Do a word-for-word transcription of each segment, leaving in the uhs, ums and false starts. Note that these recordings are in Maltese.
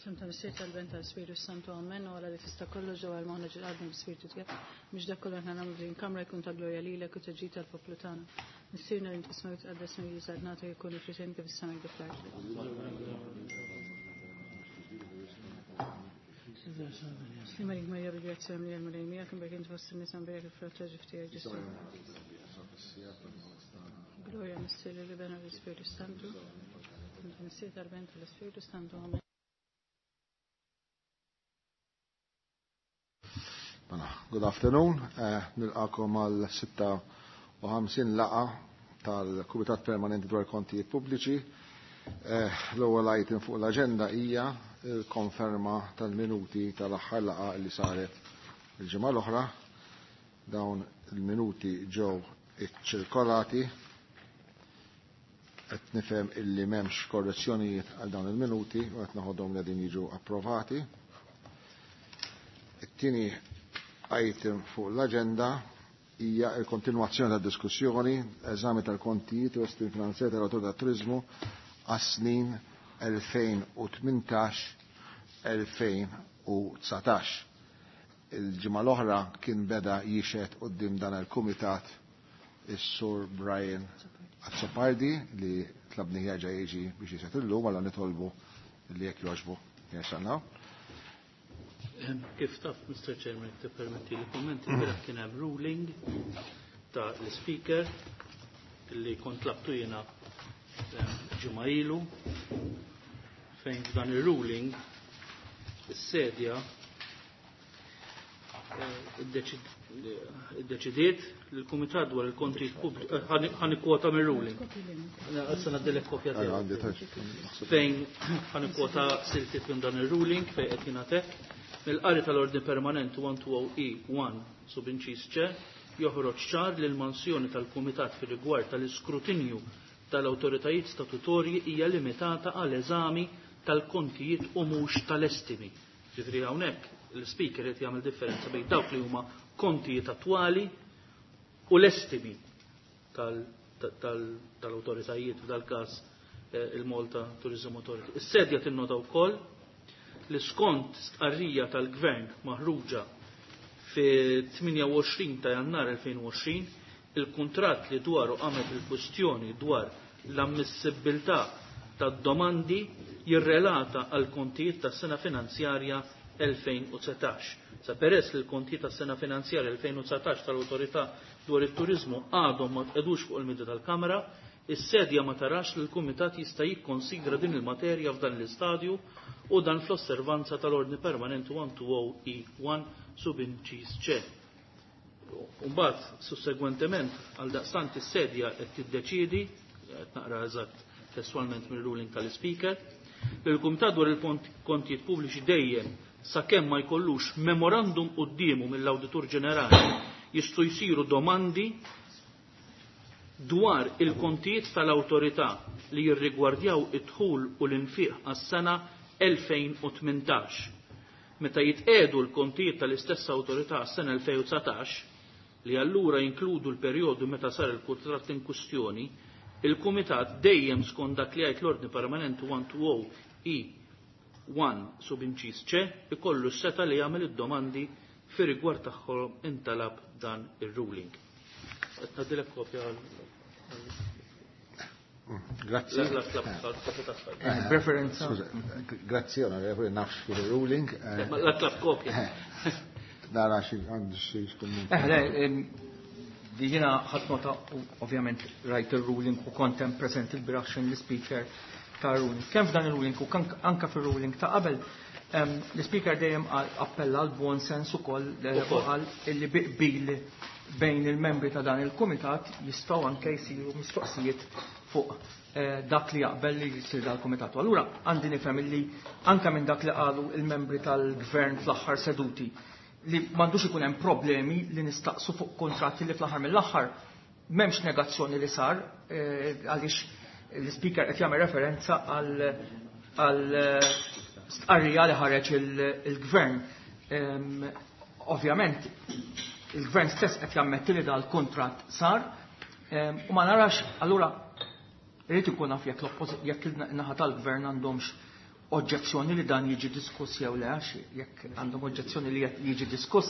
F'isem tal-Missier tal-Iben tal-Ispirtu Santu Amen u Alla li tista' kollox ġewwa l-moħħna ġil-qalbna bl-Ispirtu tiegħek biex dak kollu aħna nagħmlu f'din kamra jkun ta' glorja lilek u ta' ġid tal-poplu tagħna. Missierna li inti fis-smewwiet tqaddes ismek tiġi saltnatek ikun li kif fis-sema kif fl-art. Sliem għalik Marija bil-grazzja mimlija l-Mulej miegħek imberek int fost in-nisa mberek il-frott tal-ġuf tiegħek Ġesù. Gloria Missier l-Iben u l-Ispirtu Santu. Missier tal-Iben tal-Ispirtu Santu. Amen. Mela, good afternoon, eh, nilqakom għal sitta u ħamsin laqgħa tal-Kumitat Permanenti dwar Kontijiet Pubbliċi. Eh, l-ewwel item fuq l-aġenda hija l-konferma tal-minuti tal-aħħar laqgħa li saret il-ġimgħa l-oħra. Dawn il-minuti ġew iċċirkolati. Qed nifhem illi m'hemmx korrezzjonijiet għal dawn il-minuti u qed naħodhom li qegħdin jiġu approvati. It-tieni item fuq l-aġenda hija l-kontinwazzjoni tad-diskussjoni, eżami tal-kontijiet u estimi finanzjari tal-Awtorità tat-Turiżmu għas-snin elfejn u tmintax elfejn u dsatax. Il-ġimgħa l-oħra kien beda jixhed quddiem dan il-kumitat is-Sur Brian Azzopardi li tlabni jerġa' jiġi biex jixhed illum, allura nitolbu li jekk jogħġbu jerġa'. Kif taf, Mister Chairman, tippermetti li kummenti, ilbieraħ kien hemm ruling ta' l-Speaker li kont tlabtu jiena ġimgħa ilu, fejn f'dan ir-ruling is-sedja iddeċidiet li l-Kumitat dwar il-kontijiet pubbliċi, ħa nikkwota mir-ruling. Issa ngħaddilek kopja tiegħu. Fejn ħa nikkwota siltiet minn dan ir-ruling fejn qed jingħatek mill-qari tal-ordni permanenti one two oh E one sub inċis C joħroġ ċar li l-mansjoni tal-Kumitat fir-rigward tal-iskrutinju tal-awtoritajiet statutorji hija limitata għal eżami tal-kontijiet u mhux tal-estimi. Ġifieri hawnhekk l-speaker qed jagħmel differenza bejn dawk li huma kontijiet attwali u l-estimi tal-awtoritajiet, f'dal-każ il-Malta Tourism Authority. Is-sedja tinnota wkoll li skont stqarrija tal-Gvern maħruġa fi tmienja u għoxrin ta' Jannar elfejn u għoxrin, il-kuntratt li dwaru qamet il-kwistjoni dwar l-ammissibbiltà tad-domandi jirrelata għal kontijiet tas-sena finanzjarja elfejn u dsatax. Sa peress li l-kontijiet tas-sena finanzjarja elfejn u dsatax tal-Awtorità dwar it-Turiżmu għadhom ma tqedux fuq il-midja tal-Kamra, is-sedja ma tarax li l-Kumitat jista' jikkonsidra din il-materja f'dan l-istadju u dan fl-osservanza tal-Ordni Permanenti one two oh E one sub inċis C. Mbagħad, sussegwentement, għal daqstant is-sedja qed tiddeċiedi, qed naqra eżatt testualment mill-ruling tal-Speaker, li l-Kumitat dwar il-kontijiet pubbliċi dejjem sakemm ma jkollux memorandum quddiemu mill-Awditur Ġenerali jistgħu jsiru domandi dwar il-kontijiet tal-awtorità li jirrigwardjaw id-dħul u l-infiq għas-sena elfejn u tmintax. Meta jitqegħdu l-kontijiet tal-istess awtorità għas-sena elfejn u dsatax, li allura jinkludu l-perjodu meta sar il-kuntratt in kwistjoni, il-Kumitat dejjem skont dak li jgħid l-Ordni Permanenti one two oh E one sub inċis C ikollu s-seta li jagħmel id-domandi fi rigward tagħhom intalab dan ir-ruling. Qed ngħaddilek kopja għal Grazzi. La, la, la, la, la, la, la. Eh, Preferenza. Scusa, grazzi, onorevole, nafx fil-ruling. Eh, ma la tlab kopja. Eh, Nara xi għandu xi kumment. Eh, le, ehm, di jiena ħadd nota, ovvjament rajt il-ruling u kont hemm present il-bieraħ xejn l-speaker ta' ruling. Kemm f'dan il-ruling u kan-, anka fil-ruling ta' qabel, ehm, l-speaker dejjem qal, appella għal buon sens ukoll, eh, Ukoll. u qal illi bi qbil bejn il-membri ta' dan il-kumitat jistgħu anke jsiru mistoqsijiet fuq, eh, dak li jaqbel li jsir dal-kumitat. U allura għandi nifhem illi anke minn dak li qalu il-membri tal-gvern fl-aħħar seduti li m'għandux ikun hemm problemi li nistaqsu fuq kontratti li fl-aħħar mill-aħħar m'hemmx negazzjoni li sar, eh, għaliex l-speaker qed jagħmel referenza għal, għal stqarrija li ħareġ il-, il-gvern. Ehm, ovvjament il-gvern stess qed jammetti li dal-kuntratt sar, ehm, u ma narax allura irid ikun naf jekk l-oppożi-, jekk il-naħa tal-gvern għandhomx oġġezzjoni li dan jiġi diskuss jew le, għax jekk għandhom oġġezzjoni li jiġi diskuss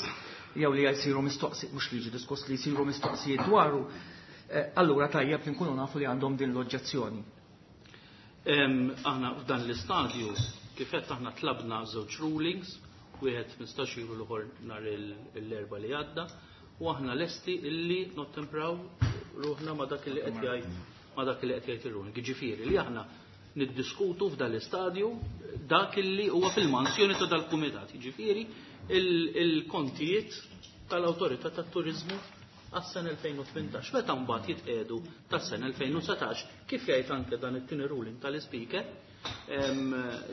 jew li jsiru mistoqsijiet, mhux li jiġi diskuss, li jsiru mistoqsijiet dwaru, allura tajjeb li nkunu nafu li għandhom din l-oġġezzjoni. Aħna f'dan l-istadju kif qed aħna tlabna żewġ rulings, wieħed mistax ilu l-ieħor nhar l-erba' li għadda, u aħna lesti illi nottempraw ruħna ma dak li qed jgħid ma dak li qed jgħid ir-ruling. Jiġifieri li aħna niddiskutu f'dan l-istadju dak illi huwa fil-mansjoni ta' dal-kumitat, jiġifieri il-kontijiet tal-Awtorità tat-Turiżmu għas-sena elfejn u tmintax. Meta mbagħad jitqiegħdu tas-sena elfejn u satax, kif jgħid anke dan it-tieni ruling tal-Ispeaker,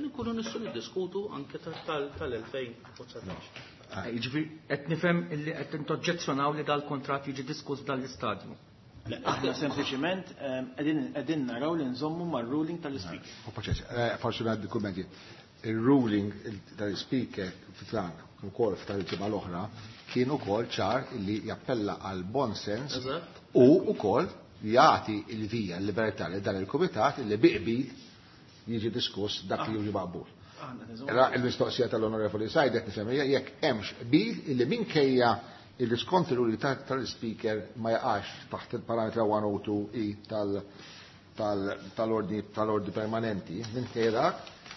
nkunu nistgħu niddiskutu anke tal-elfejn u satax. Jiġifieri qed nifhem illi qed intoġġezzjonaw li dal-kuntratt jiġi diskuss f'dan l-istadju. Aħna sempliċiment qegħdin naraw li nżommu mar-ruling tal-Ispeaker. Forsi ngħaddi kummenti. Il-ruling tal-Ispeaker f'dan ukoll f'tal-ġimgħa l-oħra kien ukoll ċar li jappella għal bon sens u ukoll jagħti l-vija l-libertà li dan il-kumitat li biqbil jiġi diskuss dak li jiġi maqbul. Il-mistoqsija tal-Onorevoli Said qed nifhem jekk hemmx qbil illi minkejja il-diskont il-ruling tal-Speaker ma jaqax taħt il-parametra one oh two E tal-ordni tal-ordni permanenti, minkejja dak,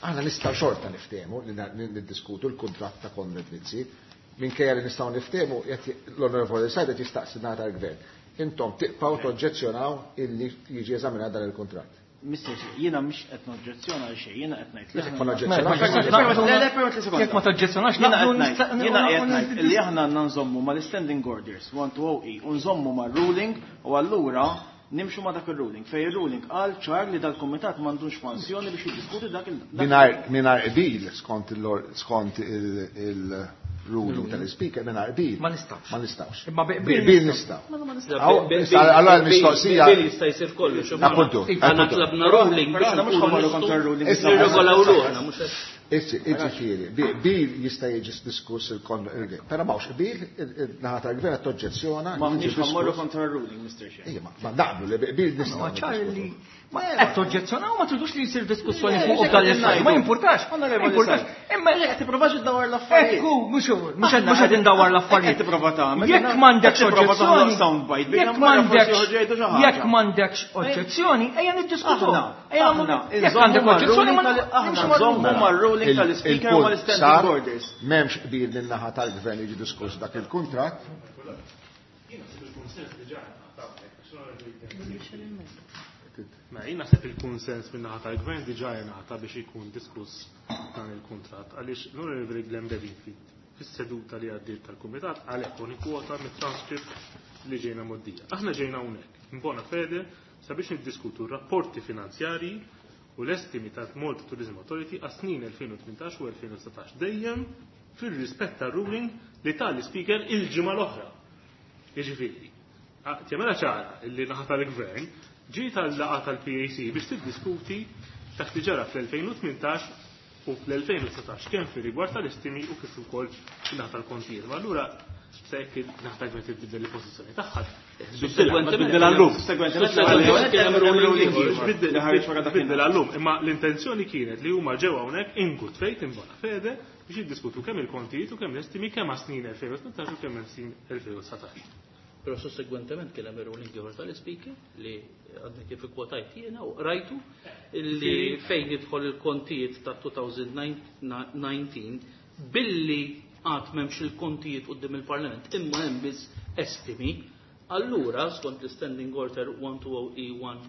aħna nistgħu xorta niftehmu li niddiskutu l-kuntratt ta' Konrad Mizzi, minkejja li nistgħu niftehmu l-Onorevoli Said qed jistaqsi nagħta l-Gvern. Intom tiqpaw toġġezzjonaw illi jiġi eżaminat dan il-kuntratt. Mister, jiena mhux qed noġġezzjona għal xejn, jiena qed ngħid. Jekk ma noġġezzjonax. Le, le, permett li sekonda. Jekk ma toġġezzjonax, jiena qed ngħid li aħna għandna nżommu mal-standing orders one two oh E u nżommu mar-ruling u allura nimxu ma dak il-ruling. Fej il-ruling qal ċar li dal-kumitat m'għandux mansjoni biex jiddiskuti dak il- Mingħajr qbil skont skont il-ruling tal-Ispeaker, mingħajr qbil. Ma nistgħux. Ma nistgħux. Imma qbil nistgħu. Allora l-mistoqsija. Qbil jista' jsir kollox. Appuntu. Aħna tlabna ruling biex nkunu kontra r-ruling. Nirregolaw ruħna mhux Iġifieri, qbil jista' jiġi diskuss il-kon, però m'hawnx qbil, naħa tal-gvern qed toġġezzjona. M'aħniex ħammorru kontra r-ruling, Mister Chair. Ejja, ma naqblu li qbil nistgħu. Ma ċar li ma qed toġġezzjonaw ma tridux li jsir diskussjoni fuq dan l-istadju. Ma jimpurtax. Ma jimpurtax. Imma qed tipprovax iddawwar l-affarijiet. Ekku, mhux mhux mhux qed indawwar l-affarijiet. Qed tipprova tagħmel. Jekk m'għandekx oġġezzjoni, jekk m'għandekx jekk m'għandekx oġġezzjoni, ejja niddiskutu. Ejja jekk għandek oġġezzjoni ma aħna nżommu mar-ruling tal-Ispeaker u mal-standing orders. M'hemmx qbil min-naħa tal-gvern jiġi diskuss dak il-kuntratt. Ma jien naħseb il-kunsens min-naħa tal-gvern diġà jingħata biex ikun diskuss dan il-kuntratt għaliex l-Onorevoli Glenn Bedingfield fis-seduta li għaddiet tal-Kumitat għalhekk u nikkwota mit-transcript li ġejna mgħoddija. Aħna ġejna hawnhekk in bona fede sabiex niddiskutu r-rapporti finanzjarji u l-estimi ta' Malta Tourism Authority għas-snin elfejn u tmintax u elfejn u satax dejjem fir-rispett tar-ruling li tal-Ispeaker il-ġimgħa l-oħra. Jiġifieri, tjemela ċara li naħa tal-Gvern ġiet għal-laqgħa tal-P A C biex tiddiskuti dak li ġara fl-elfejn u tmintax u fl-elfejn u satax kemm fir-rigward tal-estimi u kif ukoll naħa tal-kontijiet. Ma allura se jekk naħa tal-Gvern tibdel il-pożizzjoni tagħha. Tibdel għallum. Tibdel għallum. Imma l-intenzjoni kienet li huma ġew hawnhekk in good faith, in bona fede, biex jiddiskutu kemm il-kontijiet u kemm l-estimi kemm għas-snin elfejn u tmintax u kemm għas-snin elfejn u satax. Però sussegwentement kien hemm ir-ruling ieħor tal-Ispeaker li għadni kif ikkwotajt jiena u rajtu li fejn jidħol il-kontijiet ta' two thousand nineteen billi għad m'hemmx il-kontijiet quddiem il-Parlament imma hemm biss estimi, allura skont l-Standing Order one two oh E one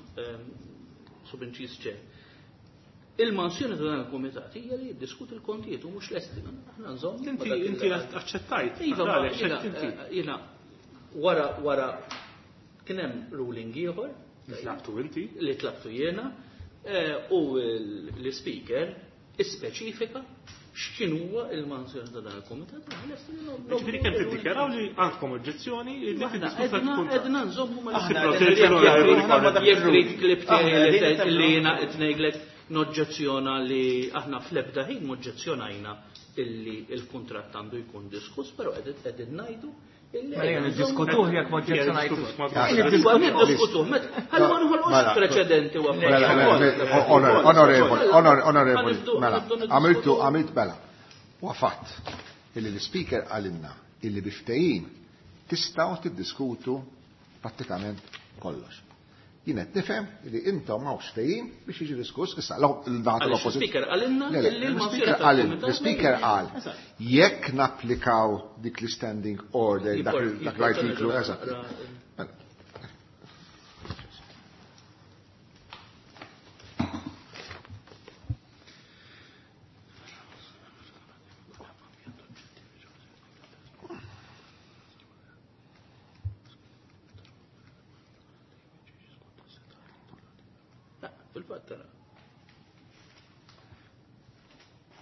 subinċis ċe. Il-mansjoni ta' dan il-kumitat hija li jiddiskuti l-kontijiet u mhux l-estimi. Aħna nżomm. Inti inti aċċettajt. Iva, Għalek, inti. Jiena wara wara kien hemm ruling ieħor li tlabtu inti, li tlabtu jiena, u l-speaker ispeċifika x'kien huwa il-mansjoni ta' dan il-kumitat. Ġifieri kemm tiddikjaraw li għandkom oġġezzjoni li tiddiskutu l-kuntratt. Edna nżommu ma jekk trid klib tiegħi li jiena qed ngħidlek noġġezzjona li aħna fl-ebda ħin moġġezzjonajna illi il-kuntratt għandu jkun diskuss, però qegħdin ngħidu Mela niddiskutuh jekk ma oġġezzjonajtux. Niddiskutuh, ħalli ma noħolqux preċedenti u Onorevoli, onorevoli, mela, għamiltu, għamilt mela. Wafat, illi l-speaker għalinna, illi biftejin tistgħu tiddiskutu prattikament kollox. Jien qed nifhem li intom m'hawnx ftehim biex jiġi diskuss issa l-naħa tal-oppożizzjoni. L-speaker għalinna li l-speaker qal jekk napplikaw dik l-standing order dak l-artiklu eżatt.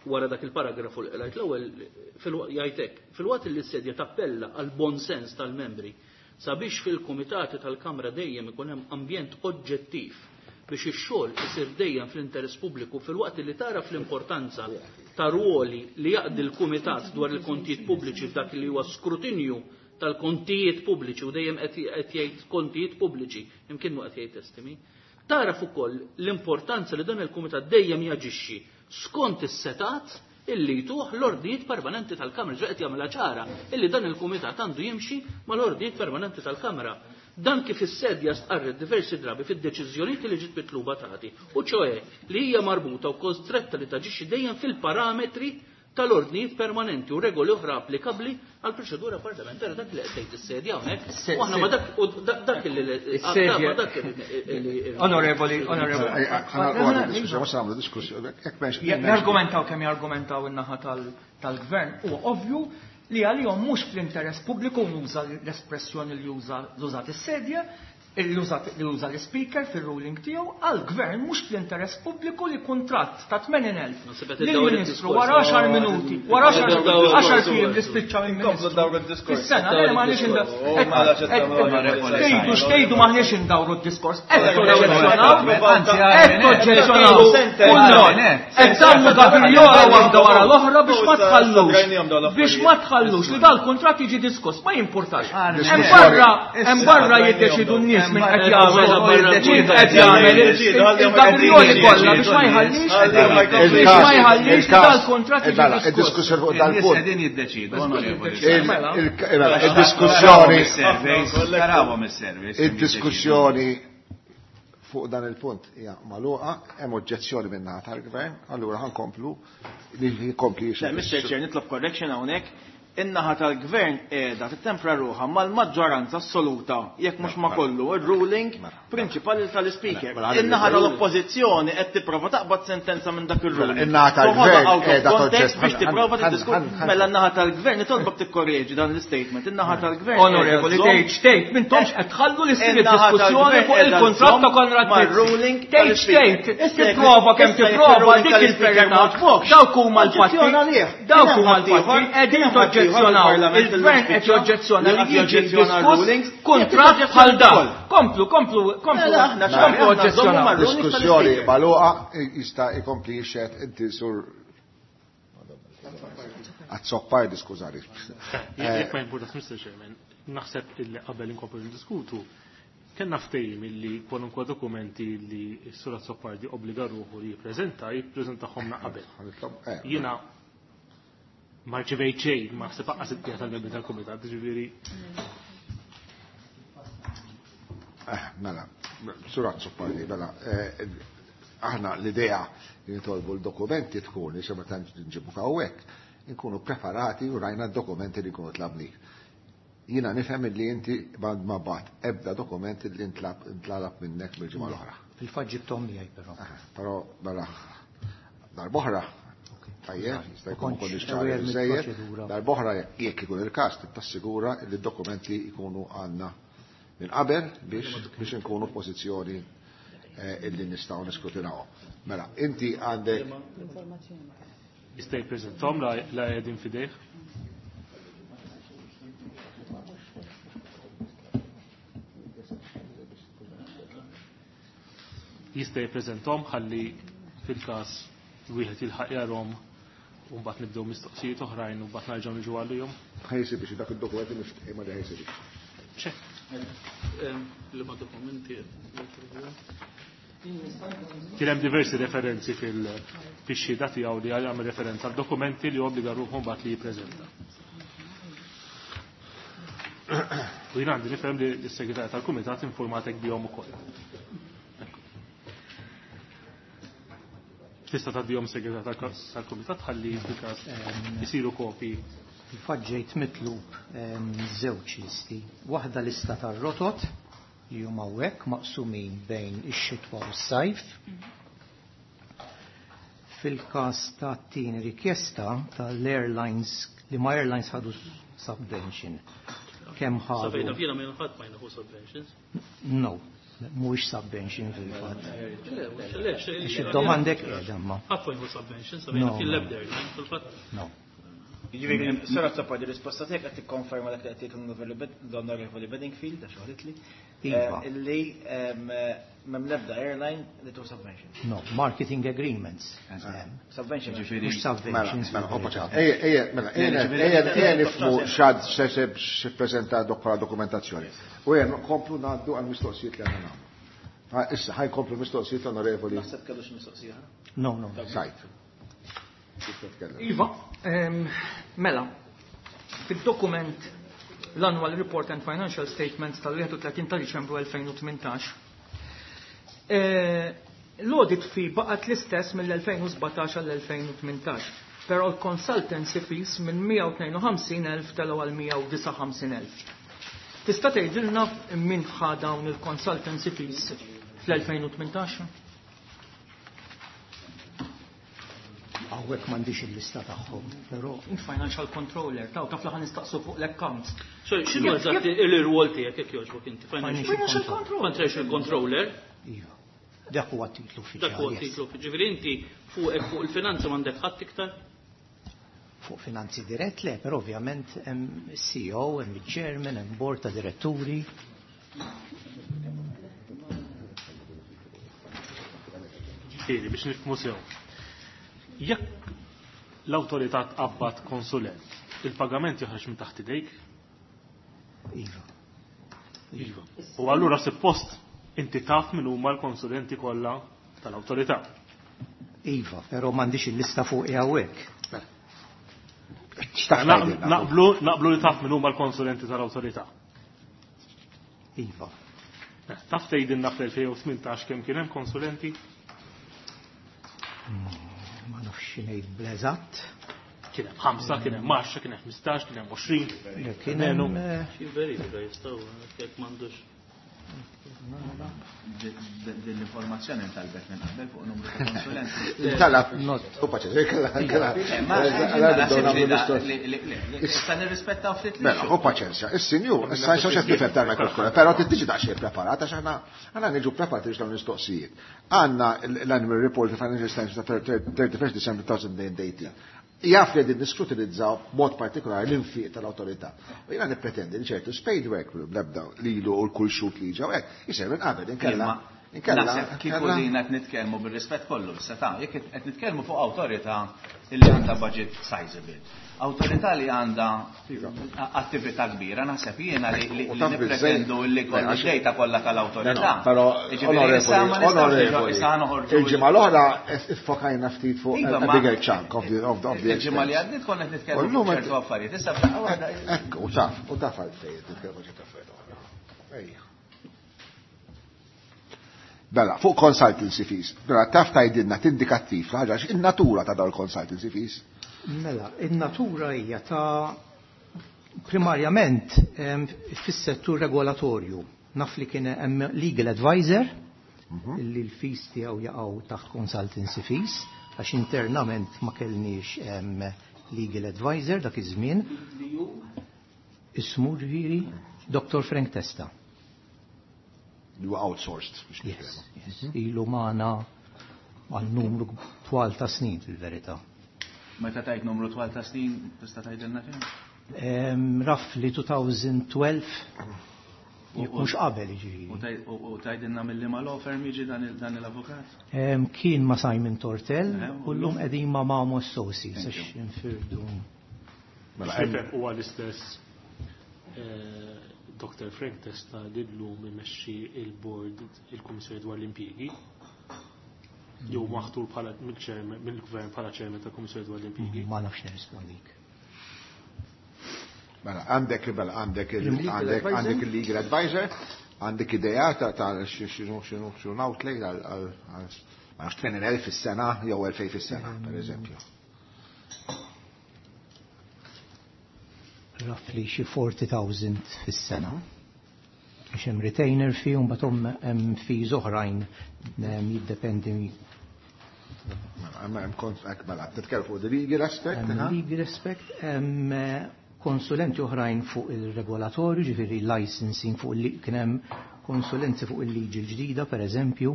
Wara dak il-paragrafu li qrajt l-ewwel jgħidlek, fil-waqt li s-sedja tappella għal bon sens tal-membri sabiex fil-kumitati tal-Kamra dejjem ikun hemm ambjent oġġettiv biex ix-xogħol isir dejjem fl-interess pubbliku fil-waqt li tara fl-importanza ta' ruoli li jaqdi l-kumitat dwar il-kontijiet pubbliċi f'dak li huwa skrutinju tal-kontijiet pubbliċi u dejjem qed jgħid kontijiet pubbliċi imkien mu qed jgħid estimi. Taraf ukoll l-importanza li dan il-kumitat dejjem jaġixxi skont is-setat illi jtuh l-ordnijiet permanenti tal-Kamra, ġo qed jagħmilha ċara illi dan il-kumitat għandu jimxi mal-ordnijiet permanenti tal-Kamra. Dan kif is-sedja stqarret diversi drabi fid-deċiżjonijiet li ġiet mitluba tagħti, u ċoe li hija marbuta u kostretta li taġixxi dejjem fil-parametri tal-ordnijiet permanenti u regoli oħra applikabbli għal proċedura parlamentari. Dak li qed tgħid is-sedja hawnhekk. U aħna ma dak dak li dak Onorevoli, onorevoli. Jargumentaw kemm jargumentaw in-naħa tal-gvern huwa ovvju li għalihom mhux fl-interess pubbliku nuża l-espressjoni li juża l-użat is-sedja, li uża l-speaker fil-ruling tiegħu għall-gvern mhux fl-interess pubbliku li kuntratt ta' tmenin elf lill-Ministru wara għaxar minuti, wara għaxar ijiem li spiċċa mill-Ministru. Fis-sena le m'għandniex tgħidu x'tgħidu m'aħniex indawru d-diskors. Qed toġġezzjonaw, qed toġġezzjonaw qed tagħmlu gabriola waħda wara l-oħra biex ma tħallux biex ma tħallux li dal-kuntratt jiġi diskuss, ma jimpurtax. Hemm barra hemm barra jiddeċidu n-nies minn qed jagħmel qed jagħmel il-gabrioli kollha biex ma jħallix biex ma jħallix dal-kuntratt jiġi diskuss. Id-diskussjoni fuq dal-punt. Qegħdin jiddeċidu, onorevoli. Id-diskussjoni tarawhom is-service. Id-diskussjoni fuq dan il-punt hija magħluqa, hemm oġġezzjoni min-naħa tal-gvern, allura ħankomplu li jkompli. Mister Chair, nitlob correction hawnhekk. In-naħa tal-gvern qiegħda tittempra ruħha mal-maġġoranza assoluta, jekk mhux ma kollu, ir-ruling prinċipali tal-ispeaker. In-naħa tal-oppożizzjoni qed tipprova taqbad sentenza minn dak ir-ruling. In-naħa tal-gvern qiegħda toġġett biex tipprova tiddiskuti. Mela n-naħa tal-gvern nitolbok tikkorreġi dan l-istatement. In-naħa tal-gvern. Onorevoli, tgħid xtejt, m'intomx qed tħallu li ssir id-diskussjoni fuq il-kuntratt ta' Konrad Mizzi. Tgħid xtejt, tipprova kemm tipprova dik il-verità. Dawk huma l-fatti. Dawk huma l-fatti. Qegħdin toġġezzjonaw. Il-gvern qed joġġezzjona li jiġi diskuss kuntratt bħal dan. Komplu, komplu, komplu, komplu oġġezzjonaw. Diskussjoni magħluqa jista' jkompli jixhed inti sur Azzopardi, skużani. Jekk ma jimpurtax, Mister Chairman, naħseb illi qabel inkomplu ndiskutu, kellna ftehim illi kwalunkwe dokumenti li s-sur Azzopardi obbliga ruħu li jippreżenta, jippreżentahomna qabel. Jiena ma rċevejt xejn, ma ħseb aqas il-qija tal-membri tal-kumitat, ġifieri. Eh, mela, Sur Azzopardi, mela, aħna l-idea li nitolbu l-dokumenti tkun li xe meta nġibu hawnhekk, inkunu preparati u rajna d-dokumenti li nkunu tlabni. Jiena nifhem li inti ma bat ebda dokumenti li ntlalab minnek mill-ġimgħa l-oħra. Fil-fatt ġibthom miegħi però. Però mela darb'oħra. Tajjeb, jista' jkun ukoll ixċari biżejjed. Darb'oħra jekk ikun il-każ tassigura li d-dokumenti jkunu għandna minn qabel biex biex inkunu f'pożizzjoni illi nistgħu niskrutinawhom. Mela, inti għandek jista' jippreżentahom la qegħdin f'idejh. Jista' jippreżentahom ħalli fil-każ wieħed jilħaq jarhom u mbagħad nibdew mistoqsijiet oħrajn u mbagħad nerġgħu niġu għalihom. Ħa jsibix dak id-dokumenti miftehima li ħa jsibix. Li ma dokumenti. Kien hemm diversi referenzi fil-xhieda tiegħu li għamel referenza għal dokumenti li obbliga ruħu mbagħad li jippreżenta. U jien għandi nifhem li s-segretarja tal-Kumitat informatek bihom ukoll. Tista' tgħaddihom segretarja tal-Kumitat ħalli fil-każ isiru kopji. Fil-fatt ġejt mitlub żewġ listi. Waħda lista tar-rotot li huma hawnhekk maqsumin bejn ix-xitwa u s-sajf. Fil-każ ta' tieni rikjesta tal-airlines li ma airlines ħadu subvention. Kemm ħadu? Sa fejna jiena ma ħadd ma jieħu subventions. No, mhuwiex subvention fil-fatt. Id-domandek qiegħda ma. Ħadd ma jieħu subventions, sa fejna fil-ebda airline fil-fatt. No. Jiġifieri, Sir Azzopardi, risposta tiegħek qed tikkonferma dak li qed jgħid l-Onorevoli Bedingfield, għax ħaditli, Iva. illi m'hemm l-ebda airline li tu subvention. No, marketing agreements. Subvention. Ġifieri, Mhux subventions. Mela, mela, hoppa, ejja, ejja, mela, ejja, ejja, ejja nifhmu x'għad se se x'ippreżenta dok bħala dokumentazzjoni. U ejja nkomplu ngħaddu għal mistoqsijiet li għandna nagħmlu. Ha, issa ħa jkomplu mistoqsijiet l-Onorevoli. Naħseb kellu xi mistoqsija. No, no. Sajt. Iva, ehm, mela, fil-dokument l-Annual Report and Financial Statements tal-wieħed u tletin ta' Diċembru elfejn u tmintax, eh, l-audit fee baqgħet l-istess mill-elfejn u sbatax għall-elfejn u tmintax, però l-consultancy fees minn mija u tnejn u ħamsin elf telgħu għal mija u disa' ħamsin elf. Tista' tgħidilna min ħa dawn il-consultancy fees fl-elfejn u tmintax? Hawnhekk m'għandix il-lista tagħhom, però Il-financial controller, taw taf li ħa nistaqsu fuq l-accounts. Sorry, x'inhu Jekk- eżatt jekk- il-rwol tiegħek jekk jogħġbok inti? Financial Financial controller. Financial controller. Iva. Dak huwa t-titlu uffiċjali. Dak huwa yes. t-titlu uffiċjali. Ġifieri inti fuq fuq il-finanza m'għandek ħadd iktar? Fuq finanzi dirett le, però ovvjament hemm C E O, hemm il-chairman, hemm board ta' diretturi. Ġifieri biex nifhmu sew. Jekk l-awtorità tqabbad konsulent, il-pagament joħroġ minn taħt idejk? Iva. Iva. U allura suppost inti taf min huma l-konsulenti kollha tal-awtorità. Iva, però m'għandix il-lista fuq hawnhekk. X'taħt Naq- tgħidilna? Naqblu, naqblu li taf min huma l-konsulenti tal-awtorità. Iva. Eh, taf tgħidilna fl-elfejn u tmintax kemm kien hemm konsulenti? Ma nafx xi ngħid bl-eżatt. Kien hemm ħamsa, kien hemm għaxra, kien hemm ħmistax, kien hemm għoxrin. Le, kien hemm, eh, Xi verifika jistgħu jekk m'għandux. Din l-informazzjoni ntalbet minn qabel fuq numru ta' konsulenti. Intalab. Not. U paċe, kella, kella. Eh, ma Għala, ma nibdew naħsibx nagħmlu li da- mistoqsijiet. li- li- li- li- issa nirrispettaw ftit li Mela, xogħol. u paċenzja, is-sinjur, issa nxax qed nifhem tal-mikrofon, però trid tiġi daqsxejn preparat għax aħna aħna niġu preparati biex dawn mistoqsijiet. Għandna l-annual report ta' Financial Statements ta' thirty-first December two thousand eighteen. Jaf li qegħdin niskrutinizzaw b'mod partikolari l-infiq tal-awtorità. U jiena nippretendi li ċertu spade work bl-ebda lilu u l-kull xut li ġew hekk, jisir minn qabel inkella. Imma Inkella. Naħseb kieku inkella- din qed nitkellmu bir-rispett kollu issa ta' jekk qed nitkellmu fuq awtorità li għandha budget sizable. Awtorità li għandha attività kbira, naħseb jiena li li U taf nippretendu biżejjed. li kollu Le, għax- d-dejta kollha tal-awtorità. No, no, però Jiġifieri issa ma onorevoli, nistgħux onorevoli, issa noħorġu il-ġimgħa l-oħra iffokajna ftit fuq Iva, a ma- bigger chunk of the of the of the Il-ġimgħa li expense. għaddiet konna qed U nitkellmu llum fuq qed- ċertu affarijiet. Issa f'daqqa waħda Ekku, u taf, u taf għalfejn titkellmu ċertu affarijiet oħra. Ejja. Bella, fuq consultancy fees. Bella, taf tgħidilna tindikattiv l-ħaġa għax in-natura ta' dawn consultancy fees. Mela, in-natura hija ta' primarjament, em, fis-settur regolatorju. Naf li kien hemm legal advisor Mhm. illi l-fees tiegħu jaqgħu taħt consultancy fees għax internament ma kellniex, em, legal advisor dak iż-żmien. Ismu ġifieri Doctor Frank Testa. Li huwa outsourced biex Yes, nitkellmu. yes. Ilu magħna għal numru twal ta' snin fil-verità. Meta tajt numru twal ta' snin, tista' tgħidilna kemm? Em, Roughly twenty twelve, jekk mhux qabel jiġifieri. U taj- u- u tgħidilna mill ma law firm jiġi dan il- dan l-avukat? Em, Kien ma' Simon Tortell Eh, u llum qegħdin ma' Mamo Associates Thank għax you. infirdu. Mela, Nifhem huwa l-istess eh, Doctor Frank Testa li llum imexxi il-board il-Kummissjoni dwar l-Impjiegi. Jew maħtur bħala mill-chairman mill-gvern bħala chairman tal-Kummissjoni dwar l-Impjiegi. Ma nafx nirrispondik. Mela, għandek mela, għandek il- Il-legal għandek advisor? għandek il-legal advisor, għandek idea ta' ta' xinu xinu xinu outlay għal għal għal ma nafx tmenin elf fis-sena jew elfejn fis-sena, per eżempju. Roughly xi forty thousand fis-sena. Għax hemm retainer fee u mbagħad hemm fees oħrajn em, jiddependi. Mela, hemm hemm kont hekk, mela, titkellem fuq the legal aspect, Hemm ha? legal aspect, hemm eh, konsulenti oħrajn fuq il-regolatorju, ġifieri licensing fuq il kien hemm konsulenzi fuq il-liġi l-ġdida, per eżempju,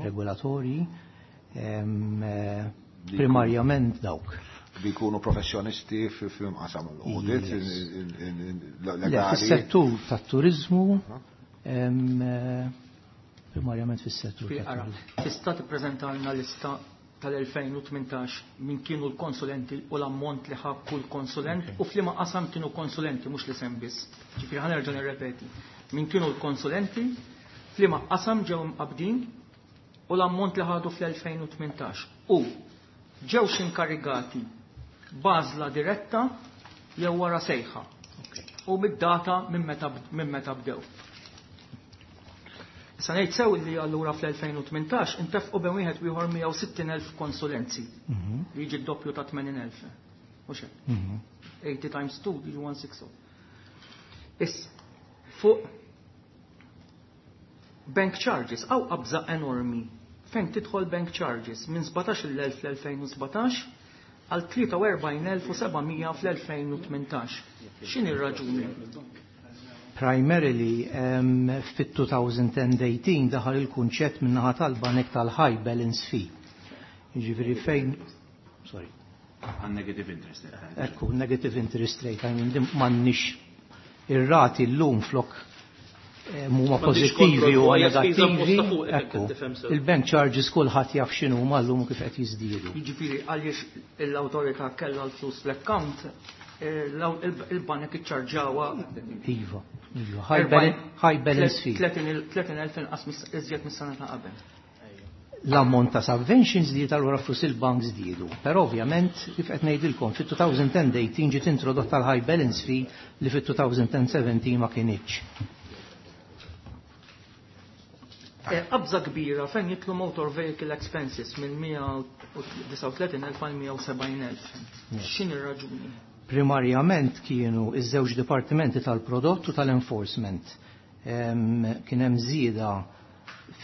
regolatorji, hemm, eh, primarjament dawk. Li jkunu professjonisti fil-qasam l-audit, Yes. in- in- in- Le, legali. fis-settur tat-turizmu, hemm, eh, primarjament fis-settur Fi- Ara, tat-turizmu. tista' tippreżentalna lista tal-elfejn u tmintax min kienu l-konsulenti u l-ammont li ħa kull konsulent u f'liema qasam kienu konsulenti, mhux l-isem biss. Ġifieri ħa nerġa' nirrepeti. Min kienu l-konsulenti, f'liema qasam ġew imqabdin u l-ammont li ħadu fl-elfejn u tmintax. U ġewx inkarigati b'għażla diretta jew wara sejħa. U mid-data minn meta minn meta bdew. Issa ngħid sew li allura fl-elfejn u tmintax intefqu bejn wieħed u ieħor mija u sittin elf konsulenzi. Li jiġi d-doppju ta' tmenin elf. Mhux hekk? Mhm. eighty times two jiġi one sixty. Issa, fuq bank charges, hawn qabża enormi. Fejn tidħol bank charges minn sbatax-il elf fl-elfejn u sbatax għal tlieta u erbgħin elf u seba' mija fl-elfejn u tmintax. X'inhi r-raġuni? Primarily um, fit-twenty eighteen daħal il-kunċett min-naħa tal-banek tal-high balance fee. Jiġifieri fejn, sorry. Għan negative interest rate. Ekku, negative interest rate, I mean, din m'għandniex ir-rati llum flok eh, huma M'għandix pożittivi kontroll u fuq, hija spiża negattivi. imposta fuq, Ekku, qed tifhem sew. il-bank charges kulħadd jaf x'inhu huma llum u kif qed jiżdiedu. Jiġifieri għaliex l-awtorità kellha l-flus fl-account, eh, l- il- il-banek iċċarġawha Iva, iva, high balance, high balance fee. tletin elf inqas mis- iżjed mis-sena ta' qabel. L-ammont ta' subventions żdied, allura flus il-bank żdiedu. Però ovvjament, kif qed ngħidilkom, fit-twenty eighteen ġiet introdotta l-high balance fee li fit-twenty seventeen ma kinitx. Eh, Qabża kbira fejn jidħlu motor vehicle expenses minn mija u disgħa u tletin elf għal mija u sebgħin elf. X'inhi r-raġuni? Primarjament kienu iż-żewġ dipartimenti tal-prodott u tal-enforcement. Em, Kien hemm żieda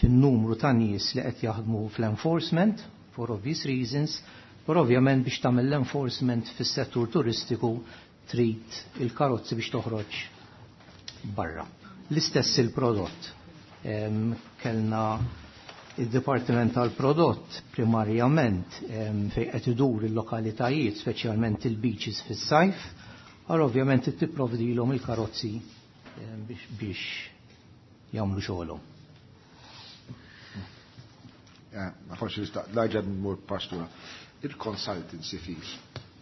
fin-numru ta' nies li qed jaħdmu fl-enforcement for obvious reasons, però ovvjament biex tagħmel l-enforcement fis-settur turistiku trid il-karozzi biex toħroġ barra. L-istess il-prodott. Em, Kellna il-Dipartiment tal-Prodott primarjament em, fejn qed idur il-lokalitajiet, speċjalment il-beaches fis-sajf, għal ovvjament tipprovdilhom il-karozzi em, biex, biex jagħmlu xogħolhom. Eh, Ma forsi nista' nerġa' nmur pastura. Il-consultancy fees.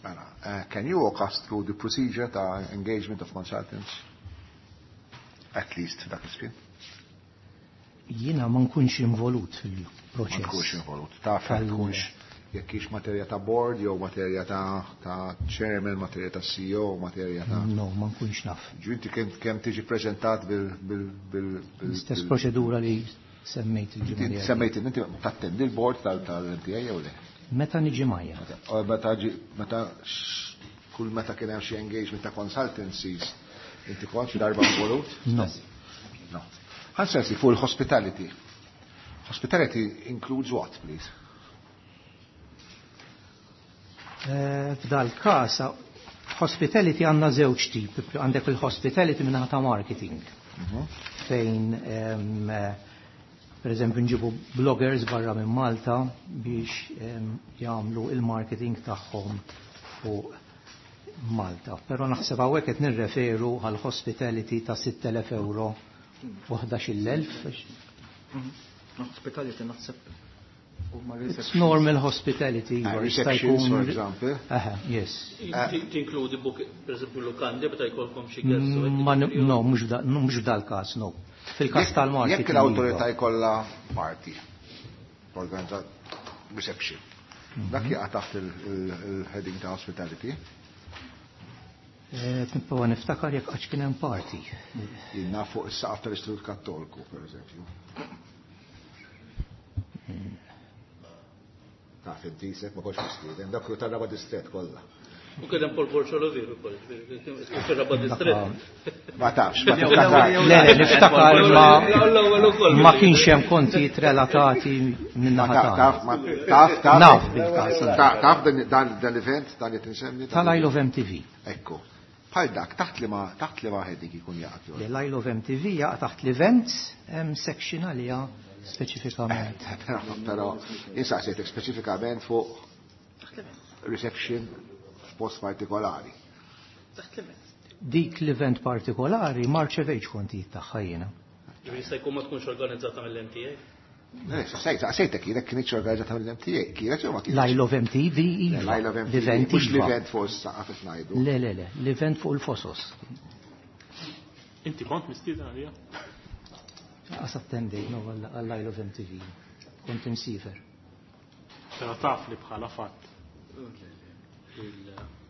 Mela, eh, can you walk us through the procedure ta' engagement of consultants? At least dak iż-żmien. Jiena ma nkunx involut Ma fil-proċess. tkunx involut. Taf Tal- tkunx jekk hix materja ta' board jew materja ta' ta' chairman, materja ta' C E O, materja ta' No, ma nkunx naf. Ġu inti kemm kemm tiġi preżentat bil bil bil bil L-istess bil- proċedura li semmejt il-ġimgħa Inti li għaddiet. semmejt inti tattendi l-board tal tal-M T A jew le? Meta niġi majja. U Meta ġi meta x- kull meta kien hemm xi engagement ta' consultancies, inti kont xi darba involut? No. No. Ħa nsaqsi fuq il-hospitality. Hospitality includes what, please? Eh, F'dal każ hospitality għandna żewġ tip. Għandek il-hospitality min-naħa ta' marketing. Fejn em, eh, per eżempju nġibu bloggers barra minn Malta biex em, jagħmlu il-marketing tagħhom fuq Malta. Però naħseb hawnhekk qed nirreferu għal hospitality ta' sitt elef euro u ħdax-il elf. Hospitality naħseb. It's normal hospitality. Uh, receptions, for example. Aha, yes. Tinkludi book, per esempio, lukandi, meta jkollkom xi guests. Ma no, mhux f'dal-każ, no. Fil-każ tal-marketing. Jekk l-awtorità jkollha party, organizzat reception, dak jaqa' taħt il-heading ta' hospitality. Nipprova niftakar jekk għax kien hemm party. Jien naf fuq is-saqaf tal-Istitut Kattoliku, per eżempju. Taf inti sek ma kontx mistieden, dak tar-raba' distret kollha. U kien hemm Paul Borċolovier ukoll, fir-raba' distret. Ma tafx, ma tiftakar. Le, le, niftakar ma ma kienx hemm kontijiet relatati minn naħa Taf, taf, taf. Naf bil-każ. Taf dan l-event, dan li tinsemmi? Tal-Isle of M T V. Ekku. Bħal dak, taħt li ma, taħt li ma heading ikun jaqa'. L-Isle of M T V jaqa' taħt l-events, hemm section għaliha speċifikament. Però insaqsejtek speċifikament fuq reception f'post partikolari. Dik l-event partikolari ma rċevejtx kontijiet tagħha jiena. Ġifieri jista' jkun ma tkunx organizzata mill-M T A? Sejta kienet kienx organizzata mill-M T A, kienet jew ma kienx? L-Isle of M T V, iva. L-Isle of M T V, L-event mhux iva. l-event fuq is-saqaf qed ngħidu. Le, le, le, l-event fuq il-fosos. Inti kont mistieden għalija? Qas attendejt, no, għall-Isle of M T V. Kont imsifer. Però taf li bħala fatt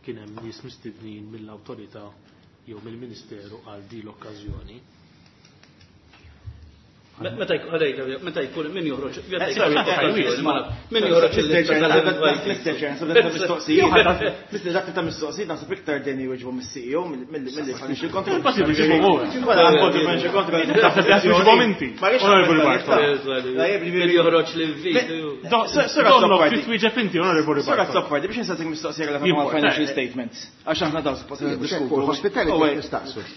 kien hemm nies mistednin mill-awtorità jew mill-Ministeru għal di l-okkażjoni. Meta jkun, meta jkun min joħroġ, Eh, sorry, eh, min joħroġ il-lista tal-invite. Mister Chair, naħseb ta' mistoqsijiet, Mister Dak ta' mistoqsijiet, naħseb iktar deni jweġbu mis-C E O mill-li financial control. Impossibbli jġibu hu. Wala, għandu financial control. Naħseb li jġibu inti. Ma rridx Honorable nagħmel Bartolo. tal-lista. Min joħroġ l-invite. Donno, trid twieġeb inti, Honorable Sura Bartolo. Azzopardi, biex nistaqsik mistoqsija relatata Jien mal-financial eh, statements. Għax aħna dawn suppost Mhux hekk, niddiskutu. fuq il-hospitality Oh, wait. nistaqsu.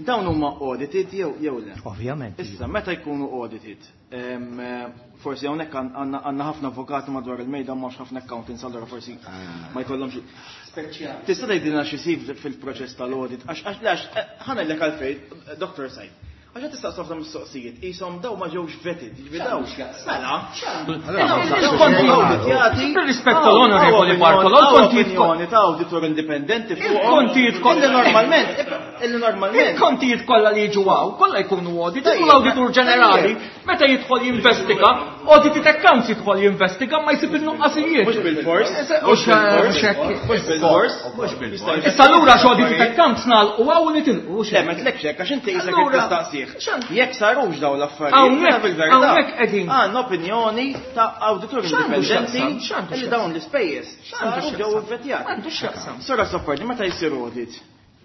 Dawn huma audited jew jew le? Ovvjament. Issa, meta jkunu audited, em, forsi hawnhekk għandna għandna ħafna avukati madwar il-mejda mhux ħafna accountants, allura forsi ma jkollhomx. Speċjali. Tista' tgħidilna xi jsir fil-proċess tal-audit, għax għax għax, ħa ngħidlek għalfejn, Doctor Said. Għax qed tistaqsu ħafna mistoqsijiet, qishom daw ma ġewx vetted, jiġifieri daw. Mela. Bir-rispett tal-Onorevoli Bartolo, l-kontijiet opinjoni ta' auditor indipendenti fuqhom. Il-kontijiet kollha Illi normalment, illi normalment. Il-kontijiet kollha li jiġu hawn, kollha jkunu audit, u l-awditur ġenerali, meta jidħol jinvestiga, audited accounts jidħol jinvestiga, ma jsib in-nuqqasijiet. Mhux bil-fors, Mhux mhux hekk. Mhux bil-fors, mhux bil-fors. Issa lura x'audited accounts nagħlqu hawn u nitilqu. Le, ma tlekx hekk għax inti qisek Allura, tistaqsih. x'għand- Jekk sarux dawn l-affarijiet, Hawnhekk- jiena fil-verità, hawnhekk qegħdin. Għandna opinjoni ta' awditur X'għandu indipendenti x'jaqsam? X'għandu li x'jaqsam? dawn l-ispejjeż X'għandu saru ġew x'jaqsam? ivvetjati. Għandu x'jaqsam? Sora Azzopardi, meta jsir audit,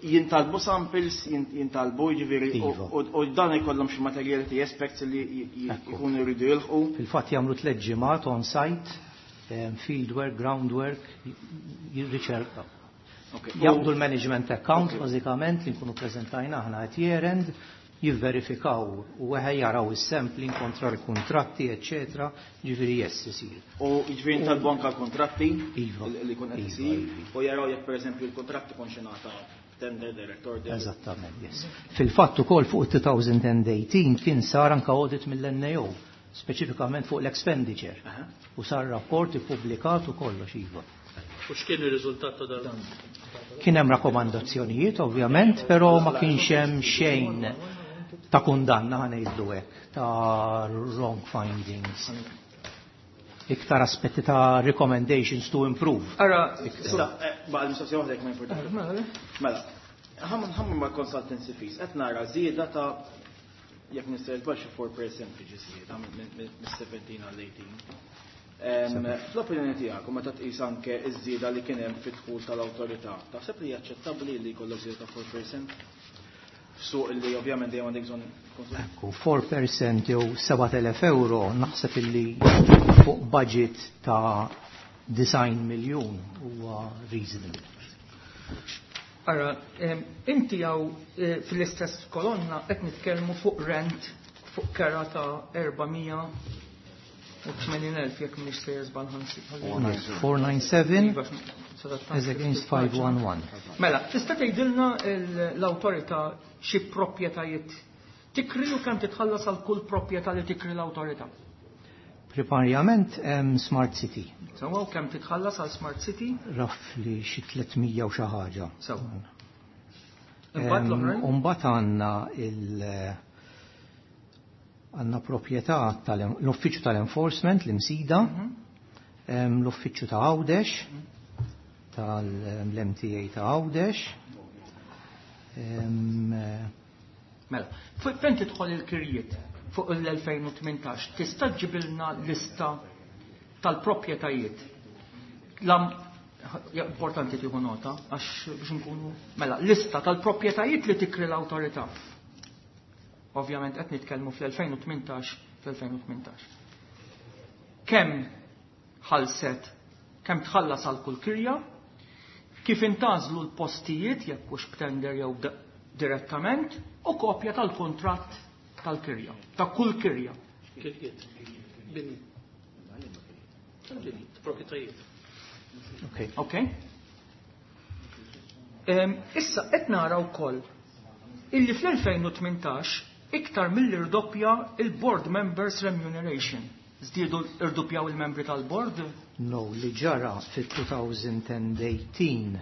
jintalbu samples, jin-, jintalbu jiġifieri, u-, Iva. u-, u dan ikollhom xi materiality aspects li j-, j-, jkunu jridu jilħqu. Fil-fatt jagħmlu tliet ġimgħat on site, em, field work, groundwork, jirriċerka. Okay. Jaqbdu l-management account, bażikament, li nkunu preżentajna aħna at year end, jivverifikaw u weħe jaraw is-sampling kontra l-kontratti, eccetera, ġifieri yes isir. U jiġifieri jintalbu anke l-kontratti Iva. li jkun qed Iva, isir, iva. u jaraw jekk pereżempju l-kontratt ikun xi ngħata tender, direct order. Eżattament, yes. Fil-fatt ukoll fuq two thousand eighteen kien sar anke audit mill-N A O, speċifikament fuq l-expenditure. Aha. U sar rapport ippubblikat u kollox, iva. U x'kien ir-riżultat ta' dan? Kien hemm rakkomandazzjonijiet ovvjament, però ma kienx hemm xejn ta' kundanna, ħa ngħidu hekk, ta' wrong findings. Iktar aspetti ta' recommendations to improve. Ara, Issa, eh, baqa' l-mistoqsija waħda jekk ma importa. Mela, Mela, ħamm ħamm ma' consultancy fees, qed nara żieda ta' jekk nista' jitbax xi four percent ġi żieda mis-seventeen għal eighteen. Em, Fl-opinjoni tiegħek, u meta tqis anke ż-żieda li kien hemm fid-dħul tal-awtorità, taħseb li hija aċċettabbli li jkollok żieda ta' four percent? F'suq li ovvjament dejjem għandek bżonn konsum. Ekku, four percent jew sebat elef euro naħseb illi fuq budget ta' design miljun huwa reasonable. Ara, em, inti hawn, eh, fl-istess kolonna qed nitkellmu fuq rent fuq kera ta' erba' mija u tmenin elf jekk mhix sejjer żball ħansib. four nine seven Iva, sadattant. as against five one one. Mela, tista' tgħidilna l-, l-awtorità xi proprjetajiet tikri u kemm titħallas għal kull proprjetà li tikri l-awtorità? Primarjament Smart City. Sewwa, u kemm titħallas għal Smart City? Roughly xi tliet mija u xi ħaġa. Sewwa. Imbagħad l-oħrajn? Imbagħad għandna il għandna proprjetà tal-uffiċċju tal-enforcement, l-Imsida, mhm. l-uffiċċju ta' Għawdex, tal-M T A ta' Għawdex. Mela, fejn tidħol il-kirjiet fuq l-elfejn u tmintax, tista' ġibilna lista tal-proprjetajiet? Importanti tieħu nota, għax biex nkunu. Mela, lista tal-proprjetajiet li tikri l-awtorità. Ovvjament qed nitkellmu fl-elfejn u tmintax, fl-elfejn u tmintax. Kemm ħalset, kemm tħallas għal kull kirja, kif intgħażlu l-postijiet, jekk hux b'tender jew direttament, u kopja tal-kontratt tal-kirja, ta' kull kirja. Kirjiet. Bini. Bini, proprjetajiet. Okay. Ok? Issa qed nara wkoll illi fl-elfejn u tmintax iktar milli rdoppja il-board members remuneration. Żdiedu, irdoppjaw il-membri tal-board? No, li ġara fil-elfejn u tmintax,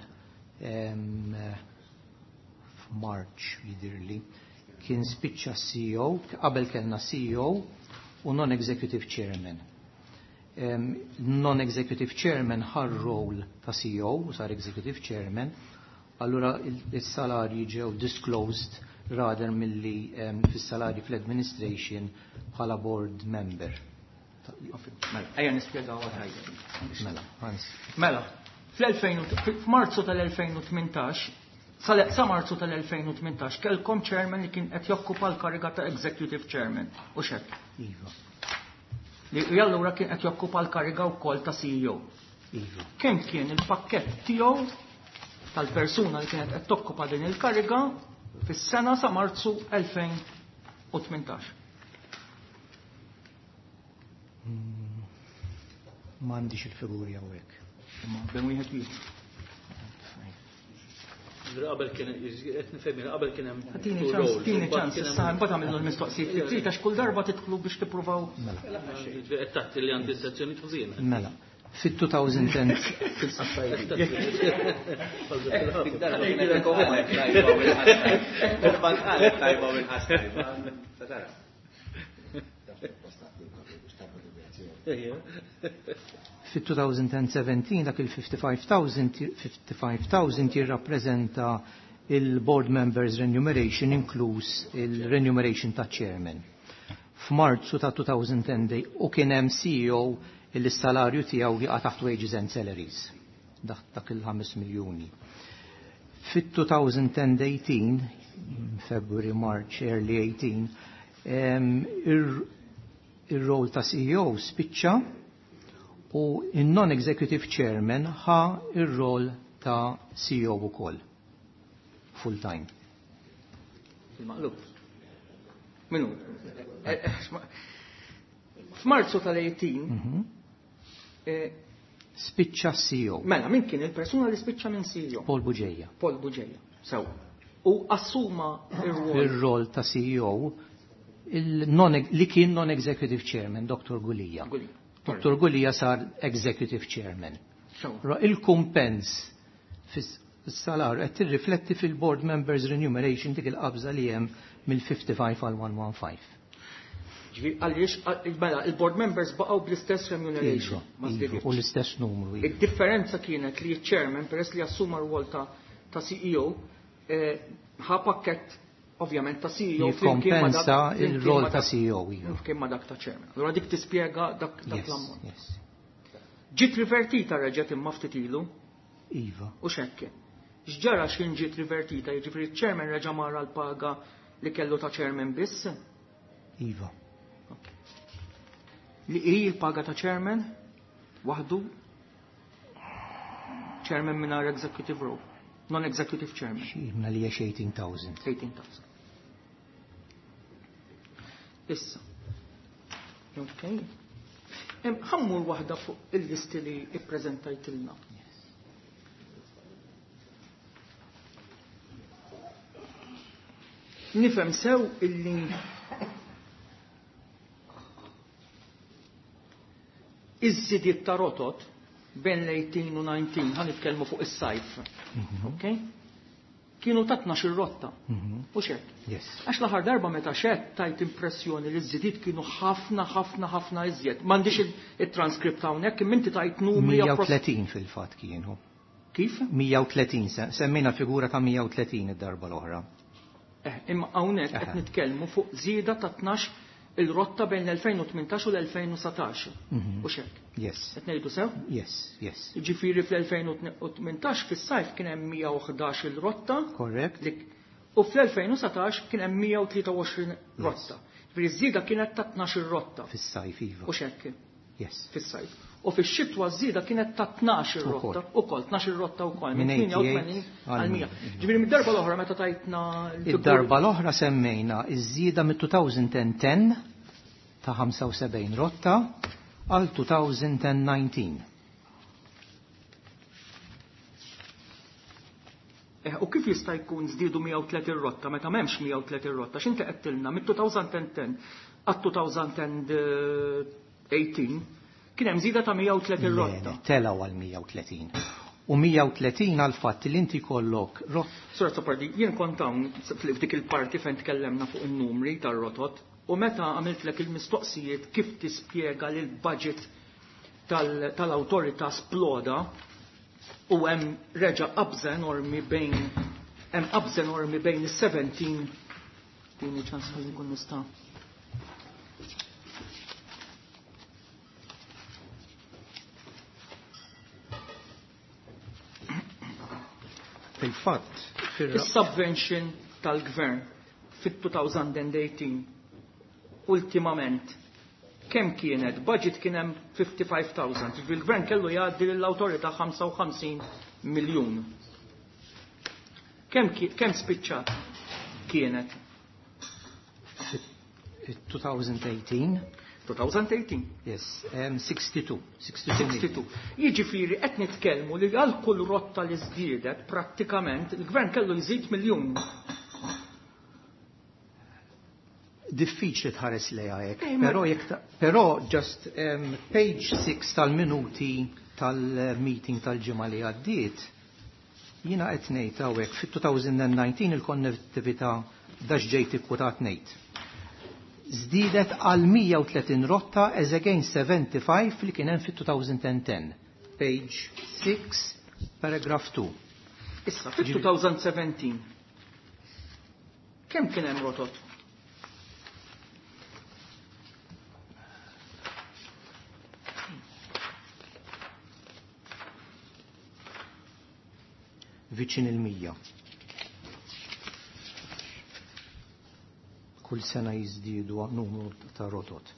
f'March jidirli, kien spiċċa C E O, qabel kellna C E O u non-executive chairman. Non-executive chairman ħa r-role ta' C E O u sar executive chairman, allura il-salarji ġew disclosed rather milli fis-salarji fl-administration bħala board member. Mela, ejja nispjegaw tajjeb. Mela, Mela, f'Marzu tal-elfejn u tmintax, sa Marzu tal-elfejn u tmintax kellkom chairman li kien qed jokkupa l-kariga ta' executive chairman, u hekk? Iva. Li allura kien qed jokkupa l-kariga wkoll ta' C E O. Iva. Kemm kien il-pakkett tiegħu, tal-persuna li kienet qed tokkupa din il-kariga fis-sena sa Marzu elfejn u tmintax? Hmm, m'għandix il-figuri hawnhekk. Imma bejn wieħed wieħed. Qabel kien, qed nifhem, qabel kien hemm. Tini ċans, tini ċans, issa mbagħad għamillu l-mistoqsijiet li trid, għax kull darba tidħlu biex tippruvaw. Mela. Qed taħt li għandi sezzjoni ħażina. Mela. Fit-elfejn u dieci Tajba u inqas tajba. Fit-elfejn u sbatax dak il-fifty-five thousand fifty-five thousand jirrappreżenta il-board members remuneration inkluż il-remuneration ta' chairman. F'Marzu ta' elfejn u dieci u kien hemm C E O il salarju tiegħu jaqa' taħt wages and salaries. Dak dak il-ħames miljuni. Fit-elfejn u tmintax, February, March, early eighteen, ir-role ta' C E O spiċċa u il-non-executive chairman ħa ir-role ta' C E O ukoll. Full time. Il-maqlub. Minu? F'Marzu tal-tmintax mhm. eh, spiċċa C E O. Mela, min kien il-persuna li spiċċa minn C E O? Paul Bugeja. Paul Bugeja. Sew. U assuma ir-rol. Ir-rol ta' C E O li kien non-executive chairman, Doctor Gulia. Gulia. Doctor Gulia sar executive chairman. Il-kumpens fis-salar qed tirrifletti fil-board members remuneration dik il-qabża li hemm mill-ħamsa u ħamsin għal mija u ħdax. Għaliex, mela, il-board members baqgħu bl-istess remuneration. Iva, u l-istess numru. Iva. Id-differenza kienet li chairman, peress li assuma r-rwol ta' C E O, eh, ħa pakkett ovvjament ta' C E O. Jikkompensa il-rol ta' C E O. Iva. Flimkien ma' dak ta' chairman. Allora dik tispjega dak l-ammont. Ġiet rivertita reġgħet imma ftit ilu. Iva. U xekke. X'ġara x'kien ġiet rivertita, jiġifieri chairman reġa' mara l-paga li kellu ta' chairman biss? Iva. Li hi l-paga ta' chairman waħdu, chairman mingħajr executive role, non-executive chairman. Xi li hija tmintax elf. tmintax elf. Issa. Ok. Ħa mmur waħda fuq il-listi li ippreżentajtilna. Nifhem sew illi Iż-żidiet ta' rotot bejn l-eighteen u nineteen, ħa nitkellmu fuq is-sajf. Okay? Kienu ta' tnax ir-rotta. U xek? Yes. Għax l-aħħar darba meta xed tajt impressjoni li ż-żidiet kienu ħafna, ħafna, ħafna iżjed. M'għandix il-transkript hawnhekk, imma inti tajt numri mija u tletin fil-fatt kienu. Kif? mija u tletin, semmejna figura ta' mija u tletin id-darba l-oħra. Eh, imma hawnhekk qed nitkellmu fuq żieda ta' tnax il-rotta bejn l-elfejn u tmintax u l-elfejn u satax. U xek? Yes. Qed ngħidu sew? Yes, yes. Jiġifieri fl-elfejn u tmintax fis-sajf kien hemm mija u ħdax il-rotta. Correct. Dik, u fl-elfejn u satax kien hemm mija u tlieta u għoxrin rotta. Jiġifieri ż-żieda kienet ta' tnax il-rotta. Fis-sajf, iva. U xek? Yes. Fis-sajf. U fix-xitwa ż-żieda kienet ta' tnax il-rotta. Ukoll, tnax il-rotta wkoll, minn Minn tmienja u tmenin għal mija. eighty-eight Ġifieri mid-darba l-oħra meta tajtna l-figuri Id-darba l-oħra semmejna iż-żieda mit two thousand and ten ta' ħamsa u sebgħin rotta għal two thousand and nineteen. Eh, u kif jista' jkun żdiedu mija u tletin rotta meta m'hemmx mija u tletin rotta? X'inti qed tilna mit two thousand and ten għat two thousand and eighteen kien hemm żieda ta' mija u tletin Le, rotta. le, telgħu għal mija u tletin. U mija u tletin għal fatt li inti kollok rot. Sur Azzopardi, jien kont hawn f'dik il-parti fejn tkellemna fuq in-numri tar-rotot u meta għamiltlek il-mistoqsijiet kif tispjega li l-budget tal-, tal-awtorità sploda u hemm reġa' qabża enormi bejn hemm qabża enormi bejn is-seventeen tieni ċans ħalli nkun nista'. Fil-fatt, fir- Is-subvention tal-gvern fit-two thousand and eighteen ultimament kemm kienet? Budget kien hemm fifty-five thousand. Il-gvern kellu jgħaddi lill-awtorità ħamsa u ħamsin miljun. Kemm ki-, kemm spiċċat kienet? Two thousand eighteen. two thousand eighteen. Yes, um, sixty-two. sixty-two sixty-two. Jiġifieri qed nitkellmu li għal kull rotta li żdiedet prattikament il-gvern kellu jżid miljun. Diffiċli tħares lejha hekk, Eh, ma però jekk ta-, però just, um, page six tal-minuti tal-meeting tal-ġimgħa li għaddiet, jiena qed ngħid hawnhekk fit-two thousand and nineteen il-konnettività dax ġejt ikkwotat ngħid. Żdiedet għal mija u tletin rotta as against seventy-five li kien hemm fit-two thousand and ten. Page six, paragraph two. Issa, fit-two thousand seventeen, kemm kien hemm rotot? Viċin il-mija. Kull sena jiżdiedu numru ta' rotot.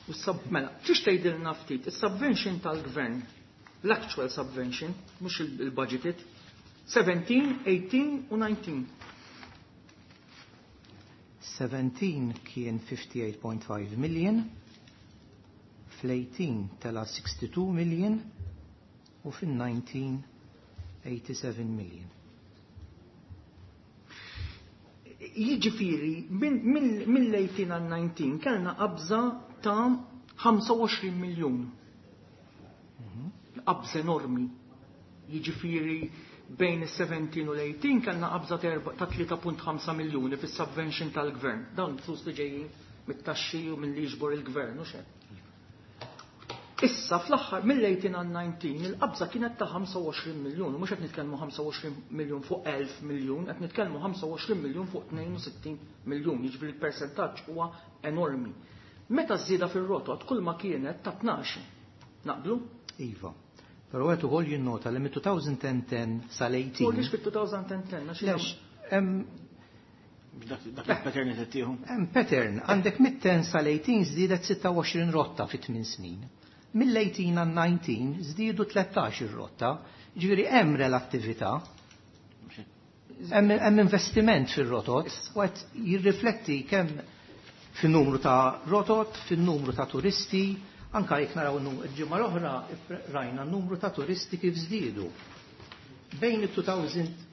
U sab-, mela, tix tgħidilna ftit, is-subvention tal-gvern, l-actual subvention, mhux il-, il-budgeted, seventeen, eighteen u nineteen. Seventeen kien fifty-eight point five million, fl-eighteen tela sixty-two million u fil-nineteen eighty-seven million. Jiġifieri, minn, minn, mill-eighteen għal nineteen kellna qabża ta' ħamsa u għoxrin miljun. Qabża enormi. Jiġifieri bejn is-seventeen u l-eighteen kellna qabża ta' erba-, ta' tlieta punt ħamsa miljuni fis-subvention tal-gvern. Dawn flus li ġejjin mit-taxxi u milli jiġbor il-gvern u xejn. Issa fl-aħħar mill-eighteen għal nineteen il-qabża kienet ta' ħamsa u għoxrin miljun, u mhux qed nitkellmu ħamsa u għoxrin miljun fuq elf miljun, qed nitkellmu ħamsa u għoxrin miljun fuq tnejn u sittin miljun, jiġifieri l-persentaġġ huwa enormi. Meta żieda fir-rotot kull ma kienet ta' tnax. Naqblu? Iva. Però qed ukoll jinnota li mit-two thousand and ten sal-eighteen. U għaliex fit-two thousand and ten? Għax Lex, hemm Dak, dak il-pattern li tittieħu. Hemm pattern, għandek mit-ten sal-eighteen żdiedet sitta u għoxrin rotta fi tmien snin. Mill-eighteen għal nineteen żdiedu tlettax ir-rotta, ġifieri hemm relattività. Hemm, hemm investiment fir-rotot u qed jirrifletti kemm fin-numru ta' rotot, fin-numru ta' turisti, anka jekk naraw n-num-, il-ġimgħa l-oħra rajna n-numru ta' turisti kif żdiedu. Bejn it-two thousand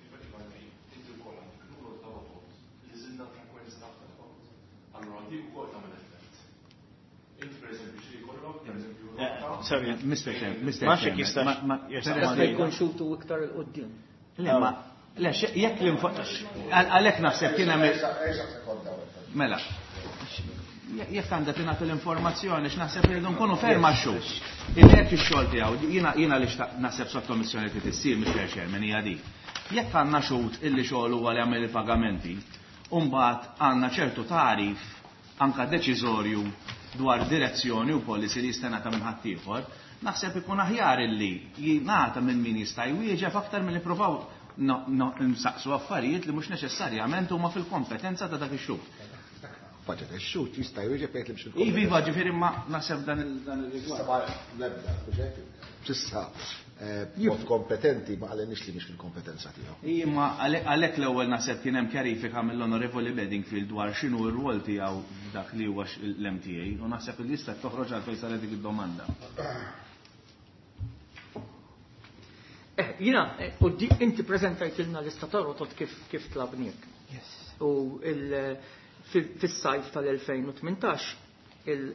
Sorry. Mister Chairman, Mister Ma nafx Chairman, jekk ma- ma- jistax peress Jista' jkun xutu iktar 'il quddiem. Le, ma, le, jekk l-info... Għalhekk naħseb kien hemm... Mela, jekk għandha tingħata l-informazzjoni x'naħseb li rridu nkunu ferma x-xhur. Illi jekk ix-xogħol tiegħu, jiena jiena li naħseb sottomissjoni li tissir, Mister Chairman, hija dik. Jekk għandna xhud illi xogħol huwa li jagħmel il-pagamenti, u mbagħad għandna ċertu tagħrif anka deċiżorju dwar direzzjoni u policy li jista' jingħata minn ħaddieħor, naħseb ikun aħjar illi jingħata minn min jista' jwieġeb aktar milli nippruvaw nsaqsu affarijiet li mhux neċessarjament huma fil-kompetenza ta' dak ix-xhud. Budget, ix-xhud jista' jwieġeb jgħid li mhux fil-kompetenza. Iva, ġifieri ma naħseb dan il-rigward. L-ebda, s'issa mod kompetenti ma qalilniex li mhix fil-kompetenza tiegħu. Imma għalhekk l-ewwel naħseb kien hemm kjarifika mill-Onorevoli Bedingfield dwar x'inhu r-rwol tiegħu dak li huwa l-M T A u naħseb li jista' toħroġ għalfejn saret dik id-domanda. Eh, jiena, u di, inti preżentajtilna lista ta' rotot kif, kif tlabniek. Yes. U il, fis-sajf tal-elfejn u tmintax, il,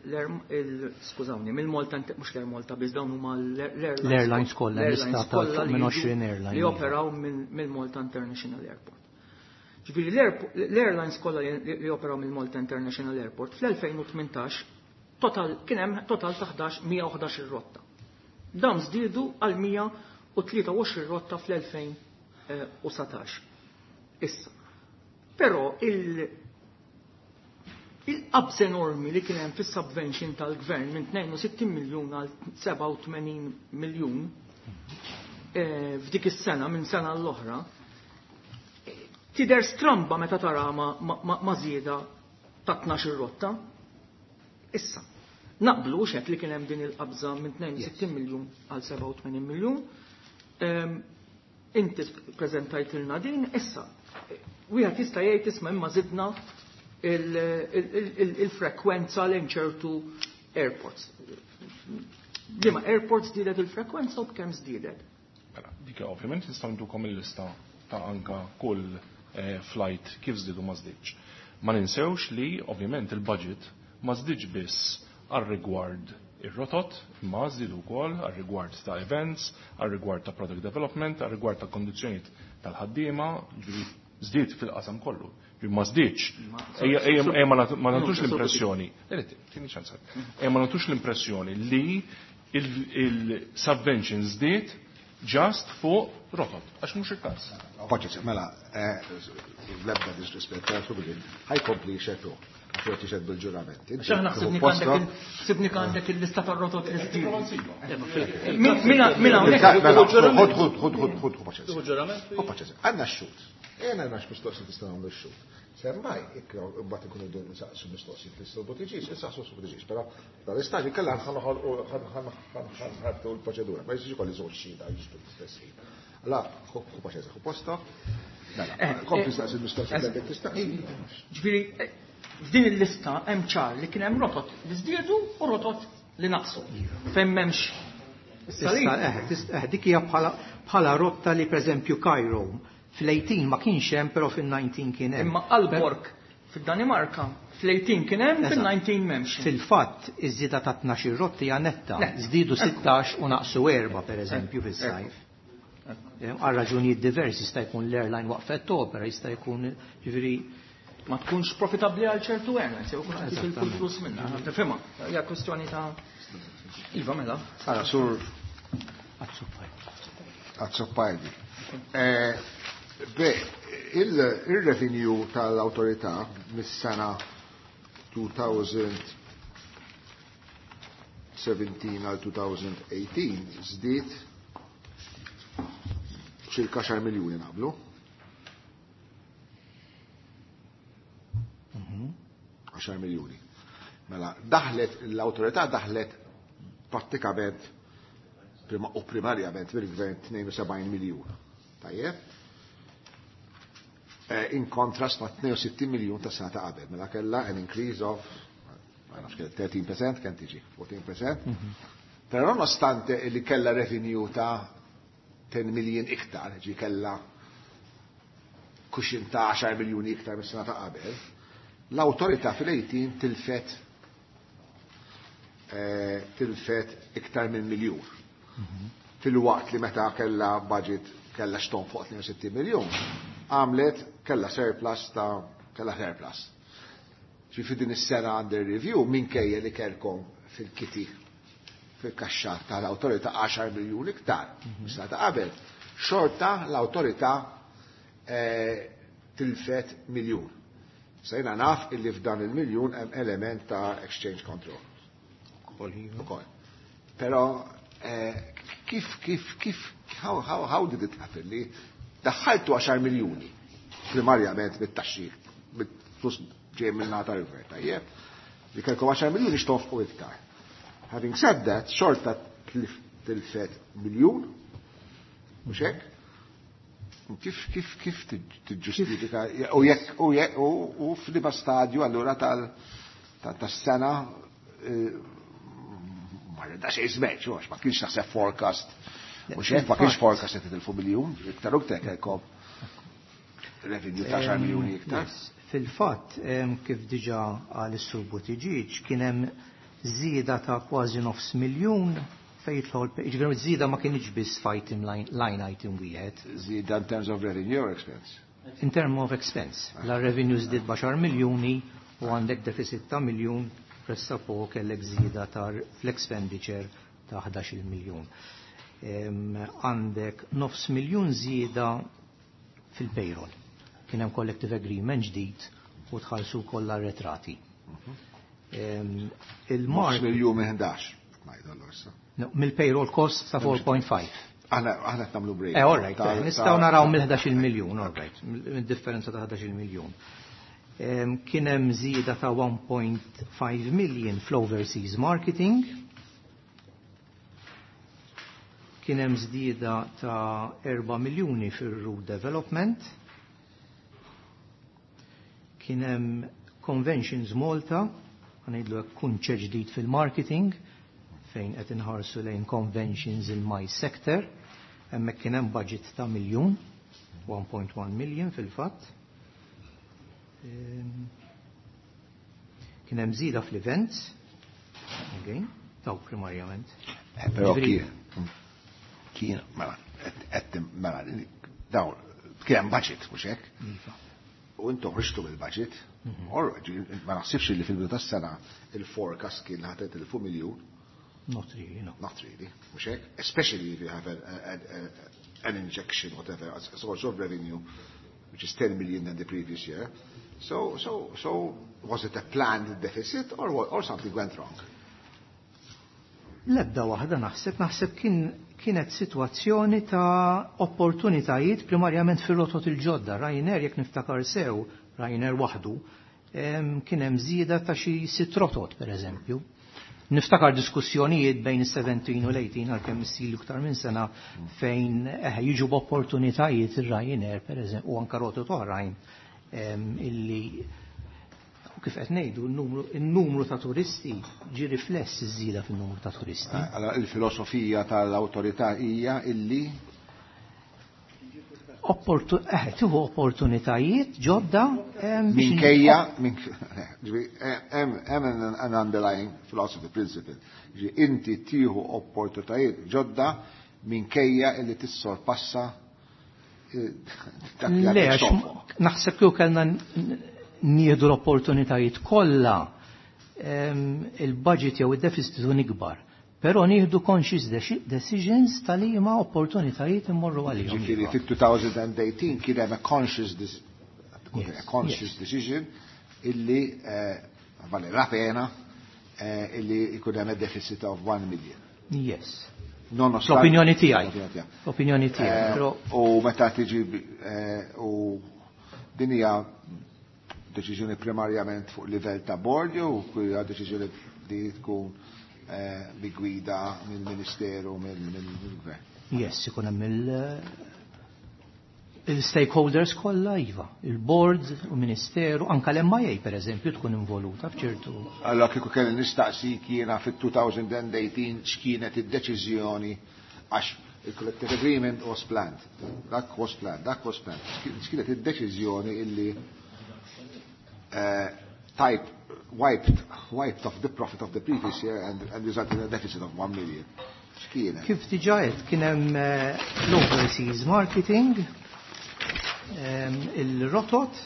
skużawni, mill-Malta, mhux l-Air Malta biss, dawn huma l-airlines L-airlines kollha, l-airlines lista ta' kollha li minn jiġu għoxrin airline. li operaw mill-Malta International Airport. Ġifieri l-airlines kollha li, li operaw mill-Malta International Airport fl-elfejn u tmintax total kien hemm total ta' ħdax, mija u ħdax ir-rotta. Dawn żdiedu għal mija u tlieta u għoxrin rotta fl-elfejn u satax. Issa. Però il-, il-qabż enormi li kien hemm fis-subvention tal-gvern minn tnejn u sittin miljun għal sebgħa u tmenin miljun, eh, f'dik is-sena minn sena l-oħra, tidher stramba meta tara ma, ma, ma, ma żieda ta' tnax-il rotta. Issa, naqblu x'hekk li kien hemm din il-qabża minn tnejn u sittin miljun għal sebgħa u tmenin miljun. Ehm, inti preżentajtilna din, issa, wieħed jista' jgħid isma' imma żidna il-, il-, il-, il-frekwenza lejn ċertu airports. Liema airports żdiedet il-frekwenza u b'kemm żdiedet? Mela, dik ovvjament nistgħu ntukom il-lista ta' anka kull, eh, flight kif żdiedu ma żdiedx. Ma ninsewx li ovvjament il-budget ma żdiedx biss għar-rigward ir-rotot, imma żdiedu wkoll għar-rigward ta' events, għar-rigward ta' product development, għar-rigward ta' kondizzjonijiet tal-ħaddiema, ġifieri żdied fil-qasam kollu. Ġifieri ma żdiedx. Ejja, ejja, ejja, ma nagħtu, ma nagħtux l-impressjoni. Le, le, tieni ċans. Ejja, ma nagħtux l-impressjoni li il-subvention żdied just fuq rotot, għax mhux il-każ. Paċenzja, mela, eh, l-ebda disrispett, ħajkompli xetu. Għax jixed bil-ġurament. Għax aħna ħsibni Posta. għandek il-, ħsibni għandek il-lista tar-rotot li żdiedu. Mela, Mina, mina hawnhekk. Mela, ħod, ħod, ħod, ħod, ħod, ħod, paċenzja. Ħu ġurament? Ħu paċenzja. Għandna x-xut. Ejna għandna x-mistoqsijiet tista' nagħmlu x-xut. Semmaj, ikra, mbagħad ikunu dun nsaqsu mistoqsijiet li s-sur Buttigieg, insaqsu s-sur Buttigieg, però dal-istadju kellha ħanħalqu l-proċedura, ma jistax ikolli żewġ xhieda jiġu fl-istess ħin. Allora, ħu paċenzja, ħu posta. Mela, kompli staqsi l-mistoqsijiet li għandek tistaqsi. Ġifieri, f'din il-lista hemm ċar li kien hemm rotot li żdiedu u rotot li naqsu. Fejn m'hemmx Issa, eh, eh, dik hija bħala, bħala rotta li pereżempju Cairo fl-eighteen ma kienx hemm, però fil-nineteen kien hemm. Imma Aalborg fid-Danimarka fl-eighteen kien hemm, Eżatt. fil-nineteen m'hemmx. Fil-fatt iż-żieda ta' tnax-il rotti hija netta. Netta. Żdiedu sittax u naqsu erba' pereżempju Ekku. fis-sajf. Għal raġunijiet diversi, jista' jkun l-airline waqfet opera, jista' jkun ġifieri ma tkunx profitabbli għal ċertu airlines, jew kun qed jitilfu Eżattament. l-flus minnha. Tifhimha, hija kwestjoni ta' Iva mela. Ara, sur Azzopardi. Eh, beh, il, il-revenue tal-autorità mis-sena two thousand seventeen għal two thousand eighteen żdied ċirka għaxar miljuni naqblu. Għaxar miljuni. Mela, daħlet, l-autorità daħlet prattikament prima, u primarjament mill-gvern tnejn u sebgħin miljun. Tajjeb? Eh, in kontrast ma' tnejn u sittin miljun ta' sena ta' qabel. Mela kellha an increase of, ma nafx kell thirteen percent, kemm tiġi, fourteen percent. Mhm. Però nonostante li kellha revenue ta' ten million iktar, ġi kellha cushion ta' għaxar miljuni iktar mis-sena ta' qabel, l-awtorità fil-eighteen tilfet eh, tilfet iktar minn miljun. Fil-waqt li meta kella budget kella xton fuq tnejn u sittin miljun, għamlet kella surplus ta' kella surplus. Ġifieri din is-sena under review, minkejja li kellkom fil-kitty, fil-kaxxa tal-awtorità, għaxar miljun iktar mis ta' qabel, xorta l-awtorità eh, tilfet miljun. Sejna naf illi f'dan il-miljun hemm element ta' exchange control. Ukoll. Però eh, kif kif kif how, how, how did it happen li daħħaltu għaxar miljuni primarjament bit-taxxi, bit-flus ġej minn nata l-gvern, tajjeb? Li kellkom għaxar miljuni x'tonfqu iktar. Having said that, xorta tilfet miljun, mhux hekk? Kif kif kif tiġġustifika u jekk u jekk u u f'liema stadju allura tal tas-sena eh, ma rridha xejn żmeġ, għax ma kienx naħseb forecast. Mhux hekk, ma kienx forecast qed titilfu miljun, iktar u iktar kellkom revenue ta' għaxar miljuni iktar. Fil-fatt, kif diġà qal is-Sur Buttigieg, kien hemm żieda ta' kważi nofs miljun fejn jidħol, jiġifieri żieda ma kienx biss f'item line, line item wieħed. Żieda in terms of revenue or expense? In terms of expense. La revenue żdied b'għaxar miljuni u għandek deficit ta' miljun, pressappoco kellek żieda ta' fl-expenditure ta' ħdax-il miljun. Għandek nofs miljun żieda fil-payroll. Kien hemm collective agreement ġdid u tħallsu kollha arretrati. Il-mark miljun minn ħdax. No, mill-payroll cost ta' erba' punt ħamsa. Aħna aħna qed nagħmlu break. Eh, all right, nistgħu naraw mill-ħdax-il miljun, all right, mid-differenza ta' ħdax-il miljun. Kien hemm żieda ta' wieħed punt ħamsa million fl-overseas marketing. Kien hemm żieda ta' erba' miljuni fir-route development. Kien hemm Conventions Malta, ħa ngħidlu hekk, kunċett ġdid fil-marketing fejn qed inħarsu lejn conventions in MICE sector. Hemmhekk kien hemm budget ta' miljun, one point one million fil-fatt. Kien hemm żieda fl-events, again, taw primarjament. Eh, però kien, kien, mela, qed mela, daw, kien hemm budget, mhux hekk? Iva. U intom ħriġtu bil-budget, ma naħsibx li fil-bidu tas-sena il-forecast kien ħa titilfu miljun. Not really, no. Not really, mhux hekk? Especially if you have a, a, a, an injection, whatever, a source of revenue, which is ten million than the previous year. So, so, so was it a planned deficit or, or something went wrong? L-ebda waħda naħseb, naħseb kien, kienet situazzjoni ta' opportunitajiet primarjament fir-rotot il-ġodda. Ryanair, jekk niftakar sew, Ryanair waħdu, kien hemm żieda ta' xi sitt rotot, per eżempju. Niftakar diskussjonijiet bejn is-sbatax u l-tmintax, għalkemm issilu iktar minn sena, fejn eh, jiġu b'opportunitajiet ir-Ryanair, per eżempju, u anka rotot oħrajn illi u kif qed ngħidu n-numru ta' turisti ġi rifless iż-żieda fin-numru ta' turisti. Allora il-filosofija tal-awtorità hija illi Eh, tieħu opportunitajiet ġodda minkejja hemm an underlying philosophy principle. Inti tieħu opportunitajiet ġodda minkejja illi tissorpassa eh, dak li Le, naħseb kieku kellna nieħdu l-opportunitajiet kollha, il-budget jew id-deficit ikun ikbar. Però nieħdu conscious decisions tal-liema opportunitajiet immorru għalihom. Ġifieri fit-elfejn u tmintax kien hemm a conscious a conscious decision illi eh, vale la pena eh, illi jkun hemm a deficit of one million. Yes. L-opinjoni tiegħi. L-opinjoni tiegħi. Eh, u meta tiġi u din hija deċiżjoni primarjament fuq livell ta' board jew hija deċiżjoni li tkun bi gwida mill-Ministeru, mill-Gvern? Yes, ikun hemm il-stakeholders kollha, iva, il-board, u ministeru, anka l-M I A per eżempju tkun involuta f'ċertu. Allora kieku kelli nistaqsik jiena fit-elfejn u tmintax x'kienet id-deċiżjoni, għax il-collective agreement was planned. Dak was planned, dak was planned. X'kienet id-deċiżjoni illi eh, type wiped, wiped off the profit of the previous year and, and resulted in a deficit of one million. X'kienet? Kif diġà għedt, kien hemm eh, l-overseas marketing, ehm, il-rotot,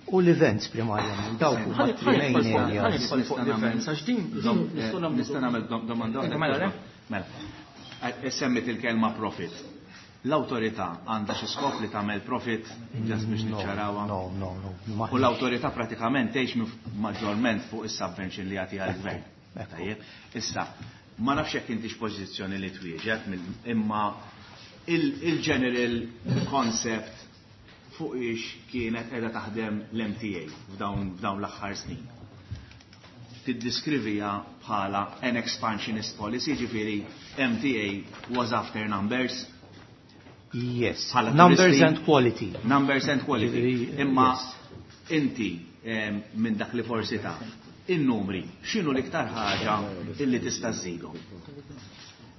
u l-events primarjament, dawk huma three main areas. Fuq l-events, għax din Nista' nagħmel domanda waħda? Mela, le? Mela. Eh, Semmit il-kelma profit. L-awtorità għandha xi skop li tagħmel profit just biex No, niċċarawha? No, no, no. U l-awtorità pratikament tgħix minn maġġorment fuq is-subvention li jagħtiha l-gvern. Ekku. Tajjeb. Issa, ma nafx jekk intix pożizzjoni li twieġeb mill- imma il- il-general concept fuq ix kienet qiegħda taħdem l-M T A f'dawn f'dawn l-aħħar snin. Tiddiskrivija bħala an expansionist policy, ġifieri M T A was after numbers? Yes. Bħala Numbers turisti. and quality. Numbers and quality. Ġifieri, Imma yes. inti em, minn dak li forsi taf, in-numri, x'inhu l-iktar ħaġa illi tista' żżidhom?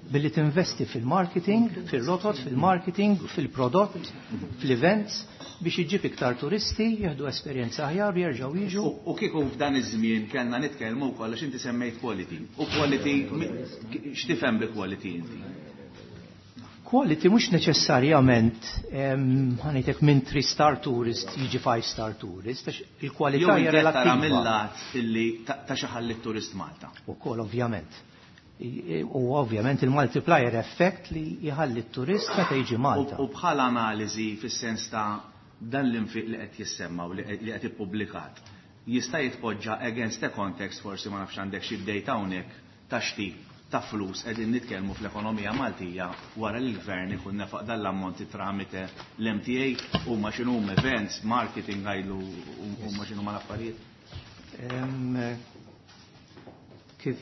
Billi tinvesti fil-marketing, fil-rotot, fil-marketing, fil-prodott, fil-events, biex iġib iktar turisti, jieħdu esperjenza aħjar, jerġgħu jiġu. U u kieku f'dan iż-żmien kellna nitkellmu wkoll għax inti semmejt quality. U quality, mi- x'tifhem bi quality inti? Quality mhux neċessarjament em, ħa ngħidlek minn three star tourist jiġi five star tourist, għax il-kwalità Jew hija inti qed tara relattiva. mill-lat illi ta' ta' xi ħalli turist Malta. Ukoll ovvjament. I- U ovvjament il-multiplier effect li jħalli t-turist meta jiġi Malta. U u bħala analiżi fis-sens ta' dan l-infiq li qed jissemma u li li qed ippubblikat jista' jitpoġġa against the context, forsi ma nafx għandek xi data hawnhekk ta' x'tip ta' flus qegħdin nitkellmu fl-ekonomija Maltija wara li l-gvern ikun nefaq dan l-ammonti tramite l-M T A huma x'inhuma events, marketing għajlu huma x'inhuma l-affarijiet. Em, Kif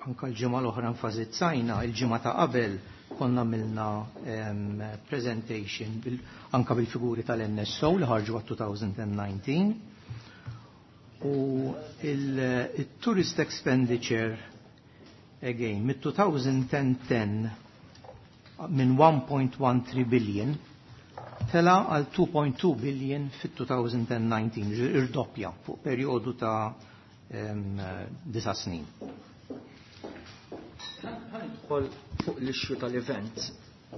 anka l-ġimgħa l-oħra enfasizzajna, il-ġimgħa ta' qabel konna għamilna em, presentation bil, anka bil-figuri tal-N S O li ħarġu għat-twenty nineteen u il-tourist expenditure again mit-twenty ten minn one point one three billion tela għal two point two billion fit-twenty nineteen, irdoppja fuq perjodu ta' em, disa' snin. Ħa nidħol fuq l-issue tal-events.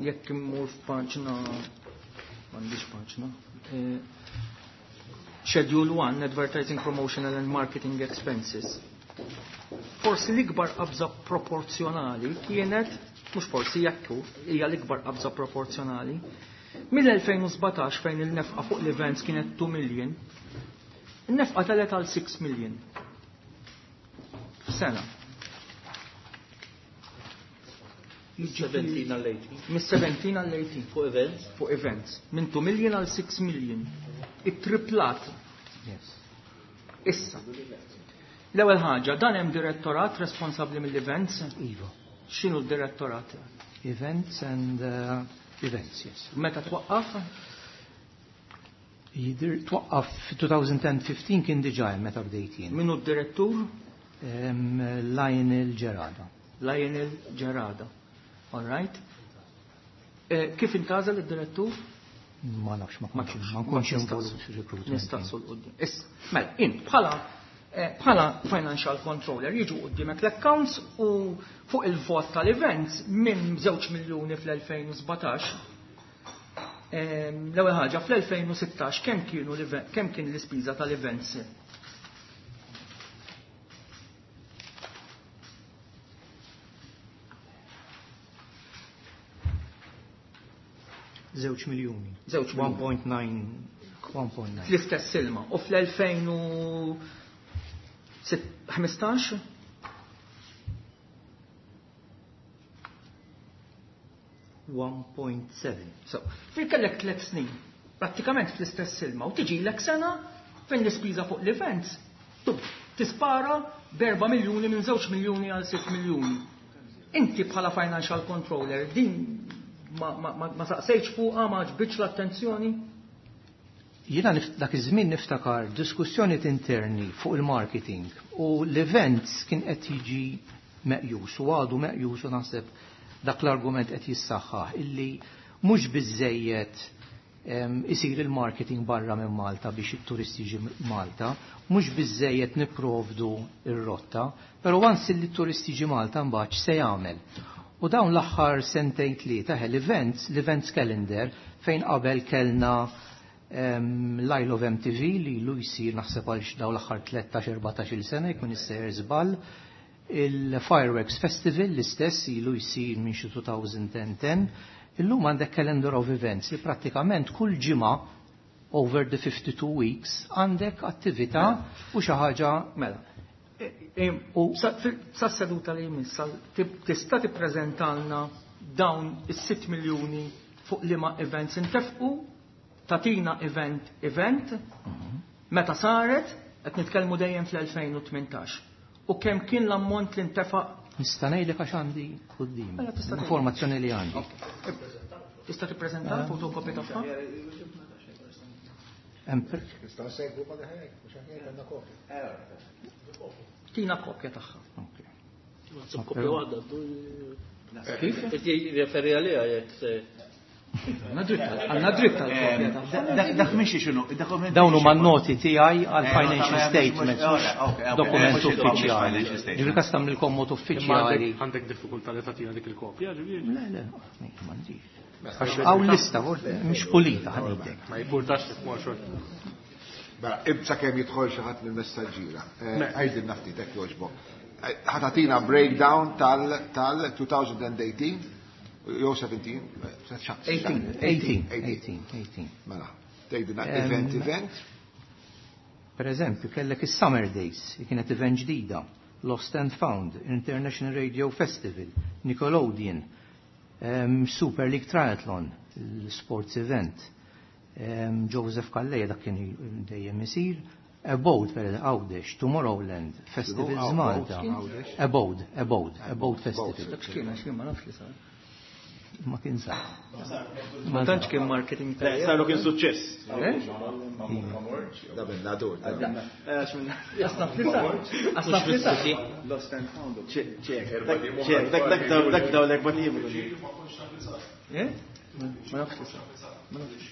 Jekk immur f'paġna, m'għandix paġna. Eh, Schedule one, Advertising, Promotional and Marketing Expenses. Forsi l-ikbar qabża proporzjonali kienet, mhux forsi jekku, hija l-ikbar qabża proporzjonali. Mill-elfejn u sbatax fejn il-nefqa fuq l-events kienet two million, il-nefqa telet għal six million. F'sena. seventeen għal eighteen. Mis-seventeen għal eighteen. Fuq events? Fuq events. Minn two million għal six million. It-triplat. Yes. Issa. L-ewwel ħaġa, dan hemm direttorat responsabbli mill-events? Iva. X'inhu d-direttorat? Events and uh, events, yes. Meta twaqqaf? Jidir twaqqaf twenty fifteen, kien diġà hemm meta bdejt jien. Min hu d-direttur? Em, Lionel Gerada. Lionel Gerada. All right. Eh, kif intgħażel id-direttur? Ma nafx, ma Ma kontx tafx. Ma nkunx involut fir-recruitment. Nistaqsu 'l quddiem. Issa, mela, int bħala eh, bħala financial controller jiġu quddiemek l-accounts u fuq il-vot tal-events minn żewġ miljuni fl-elfejn u sbatax. Ehm, L-ewwel ħaġa, fl-elfejn u sittax kemm kienu l-event- kemm kien l-ispiża tal-events? Żewġ miljuni. Żewġ miljuni. one point nine, one point nine. Fl-istess silma. U fl-elfejn u ħmistax? one point seven. So, fil kellek tliet snin, prattikament fl-istess silma, u tiġi lek sena fejn l-ispiża fuq l-events tub, tispara b'erba' miljuni minn żewġ miljuni għal sitt miljuni. Inti bħala financial controller din ma, ma, ma, ma saqsejtx fuqha, ma ġbitx l-attenzjoni? Jiena nif- dak iż-żmien niftakar diskussjoni interni fuq il-marketing u l-events kien qed jiġi meqjus u għadu meqjus u naħseb dak l-argument qed jissaħħaħ illi mhux biżejjed. isir il-marketing barra minn Malta biex it-turisti jiġi Malta, mhux biżejjed nipprovdu ir-rotta, però once li t-turisti jiġi Malta mbagħad se jagħmel. U dawn l-aħħar sentejn tlieta l-events, l-events calendar fejn qabel kellna l-Isle of M T V li ilu jsir naħseb għal dawn l-aħħar tlettax erbatax-il sena jkun issejjer żball, il-Fireworks Festival l-istess ilu jsir minn xi two thousand ten. Illum għandek calendar of events li prattikament kull ġimgħa over the fifty-two weeks għandek attività u xi ħaġa mela. Sa seduta li jmiss tista' tippreżentalna dawn is-sitt miljuni fuq liema events intefqu, tatina event event, meta saret, qed nitkellmu dejjem fl-elfejn u tmintax. U kemm kien l-ammont li ntefaq? Nista' ngħidlek għax għandi quddiem. Mela, tista' tgħid. Informazzjoni li għandi. Ok. Tista' tippreżenta l-fotokopja tagħha? Hemm per- Nista' nsegwu ma ħajk, mhux aħjar għandna kopja. Tina kopja tagħha. Ok. Sib kopja waħda, du- Kif? Qed jirreferi għaliha jekk se- Għandna dritt għal-, għandna dritt għal-kopja tagħha. Dak, dak mhix xinu, dak mhix Dawn huma xinu. n-noti tiegħi għal Eh, financial nota, mhux- statements, mhux- mhux ok, ok, dokument mhux il-published uffiċjali. financial statement. Ġifieri kas tagħmlilkom mod Imma uffiċjali. għandek għandek diffikultà li tagħtina dik il-kopja, ġifieri? Le, le, m'għandix. Għax hawn lista, mhux pulita ħanidek. Ma jimpurtax li tmur xorta. Mela, ibsa kemm jidħol xi ħadd mill-messaġġiera. Eh, Mela. Għidilna ftit hekk jogħġbok. Eh, ħa tagħtina breakdown tal-, tal two thousand eighteen jew seventeen, Eighteen. Eighteen, eighteen, eighteen. Mela, tgħidilna Em, event, event. Per eżempju, kellek is-Summer Days, li kienet event ġdida, Lost and Found, International Radio Festival, Nickelodeon, em, Super League Triathlon, l-sports event, em, Joseph Calleja dak kien dejjem isir, Abode, per eżempju, Għawdex, Tomorrowland, Festivals Abode, Malta. Għawdex. Abode, Abode, Abode Festival. Dak x'kien, għax jien ma nafx li sar. Ma kien sar. Ma tantx kien marketing Le, tajjeb. saru kien suċċess. Eh? Da minn nadur, da minn. Għax minn- Asnaf li sar. Asnaf li sar. Lost and found. Ċek, ċek, dak, dak, dak, daw, dak, daw, dak, bat jibru. Eh? Ma nafx li sar. Ma nafx.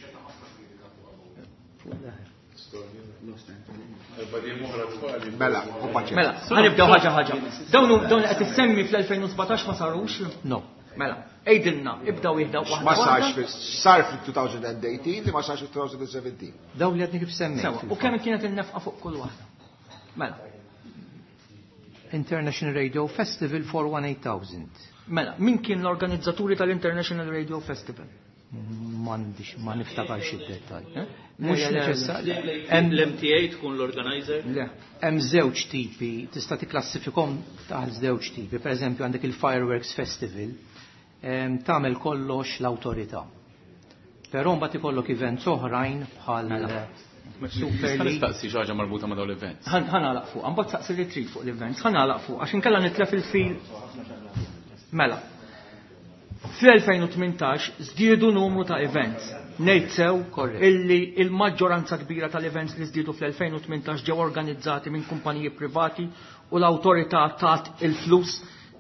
Mela, u paċe. Mela, ħanibdew ħaġa ħaġa. Dawn hu-, dawn qed issemmi fl-elfejn u sbatax ma sarux? No. Mela, għidilna, ibdaw jihdaw waħda Ma sarx waħda. fil-, sar fil-two thousand eighteen li ma sarx fil-two thousand seventeen. Dawn li għadni kif semmejt. Sewa, u kemm kienet in-nefqa fuq kull waħda? Mela. International Radio Festival four one eight thousand. Mela, min kien l-organizzaturi tal-International Radio Festival? M'għandix, ma niftakarx id-dettall. Eh? Mhux Le, le, le. neċessarju. L-M T A tkun l-organizer? Le. Hemm żewġ tipi, tista' tikklassifikhom taħt żewġ tipi. Per eżempju għandek il-Fireworks Festival, em, tagħmel kollox l-awtorità. Però mbagħad ikollok events oħrajn bħal Mela. Super Nista' League. nistaqsi xi ħaġa marbuta ma' dawn l-events. Ħan-, ħanalaq fuq, mbagħad saqsi li trid fuq l-events, ħanalaq fuq, għax inkella nitlef il-fil. Mela. Fl-elfejn u tmintax żdiedu numru ta' events. Ngħid sew Korrett. illi il-maġġoranza kbira tal-events li żdiedu fl-elfejn u tmintax ġew organizzati minn kumpaniji privati u l-awtorità tat il-flus,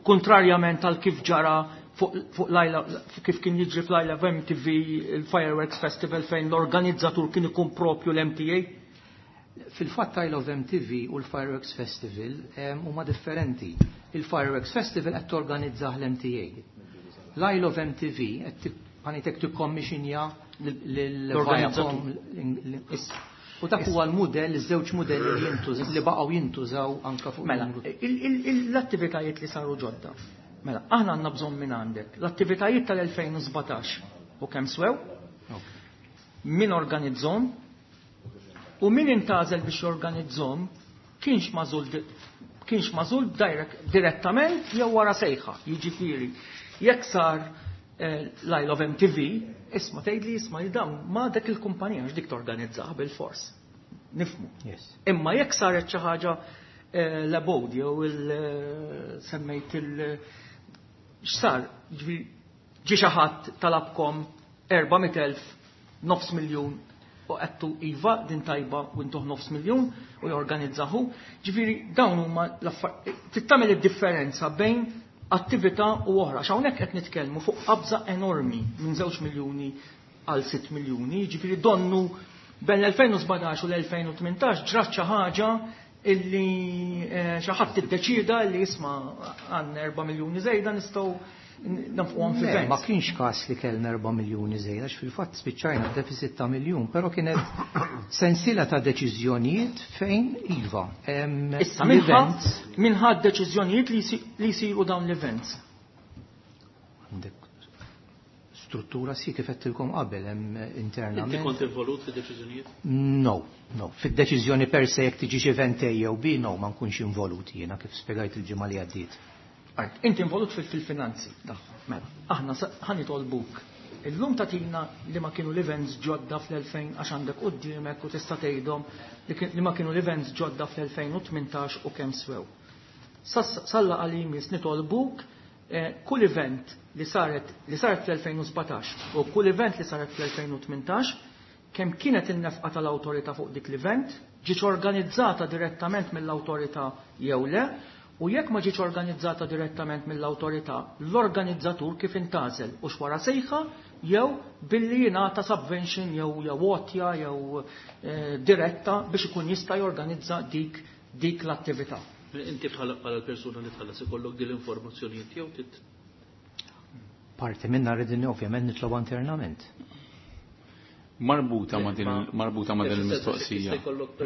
kontrarjament għal kif ġara fuq, fuq l-Isle, kif kien jiġri fl-Isle of M T V, il-Fireworks Festival fejn l-organizzatur kien ikun propju l-M T A. Fil-fatt Isle of M T V u l-Fireworks Festival, em, huma differenti. Il-Fireworks Festival qed torganizzah l-M T A. L-Isle of M T V qed ti-, ħanitek tikkommixinja lil L-organizzatur. Viacom, u dak huwa l-mudell, iż-żewġ mudelli li jintuż-, li baqgħu jintużaw anka fuq Mela, il-numru. il-, il-, il-, l-attivitajiet li saru ġodda. Mela, aħna għandna bżonn minn għandek. L-attivitajiet tal-elfejn u sbatax u kemm swew, Ok. min organizzhom u min intażel biex jorganizzhom kienx magħżul di-, kienx magħżul direct, direttament jew wara sejħa, jiġifieri. Jekk sar, eh, l-Isle of M T V, isma' tgħidli isma' li dawn ma dak il-kumpanija għax dik torganizzah bil-fors. Nifmu. Yes. Imma jekk saret xi ħaġa, eh, l-Abode jew il, eh, semmejt il-, x'sar, ġifieri ġie xi ħadd talabkom erba' mitt elf, nofs miljun u qedtu iva din tajba u intuh nofs miljun u jorganizzahu. Ġifieri dawn huma l-affar-, trid tagħmel id-differenza bejn attività u oħra. X'hawnhekk qed nitkellmu fuq qabża enormi minn żewġ miljuni għal sitt miljuni, jiġifieri donnu bejn l-elfejn u sbatax u l-elfejn u tmintax ġrat xi ħaġa illi xi ħadd iddeċieda li isma' għandna erba' miljuni żejda nistgħu nafquhom fi Ma kienx każ li kellna erba' miljuni żejda, għax fil-fatt spiċċajna deficit ta' miljun, però kienet sensiela ta' deċiżjonijiet fejn iva. Issa minħa deċiżjonijiet li jsiru dawn l-events. Għandek struttura si kif qedtilkom qabel hemm internament. Inti kont involut fid-deċiżjonijiet? No, no. Fid-deċiżjoni per se jekk tiġix event A jew B, no, ma nkunx involut jiena kif spjegajt il-ġimgħa li għaddiet. Inti involut fil-finanzi. Mela, aħna ħanitolbuk. Illum tagħtina li ma kienu l-events ġodda fl-elfejn għax għandek quddiemek u tista' tgħidhom li ma kienu l-events ġodda fl-elfejn u tmintax u kemm swew. Salla għal-imis nitolbuk kull event li saret li saret fl-elfejn u sbatax u kull event li saret fl-elfejn u tmintax kemm kienet in-nefqa tal-awtorità fuq dik l-event, ġietx organizzata direttament mill-awtorità jew le, u jekk ma ġietx organizzata direttament mill-awtorità, l-organizzatur kif intażel u xwara sejħa jew billi jingħata subvention jew jew għotja jew diretta biex ikun jista' jorganizza dik dik l-attività. Inti bħala l-persuna li tħallas ikollok din l-informazzjoni jew tit Parti minna rridin ovvjament nitlob internament. Marbuta ma din marbuta ma din il-mistoqsija.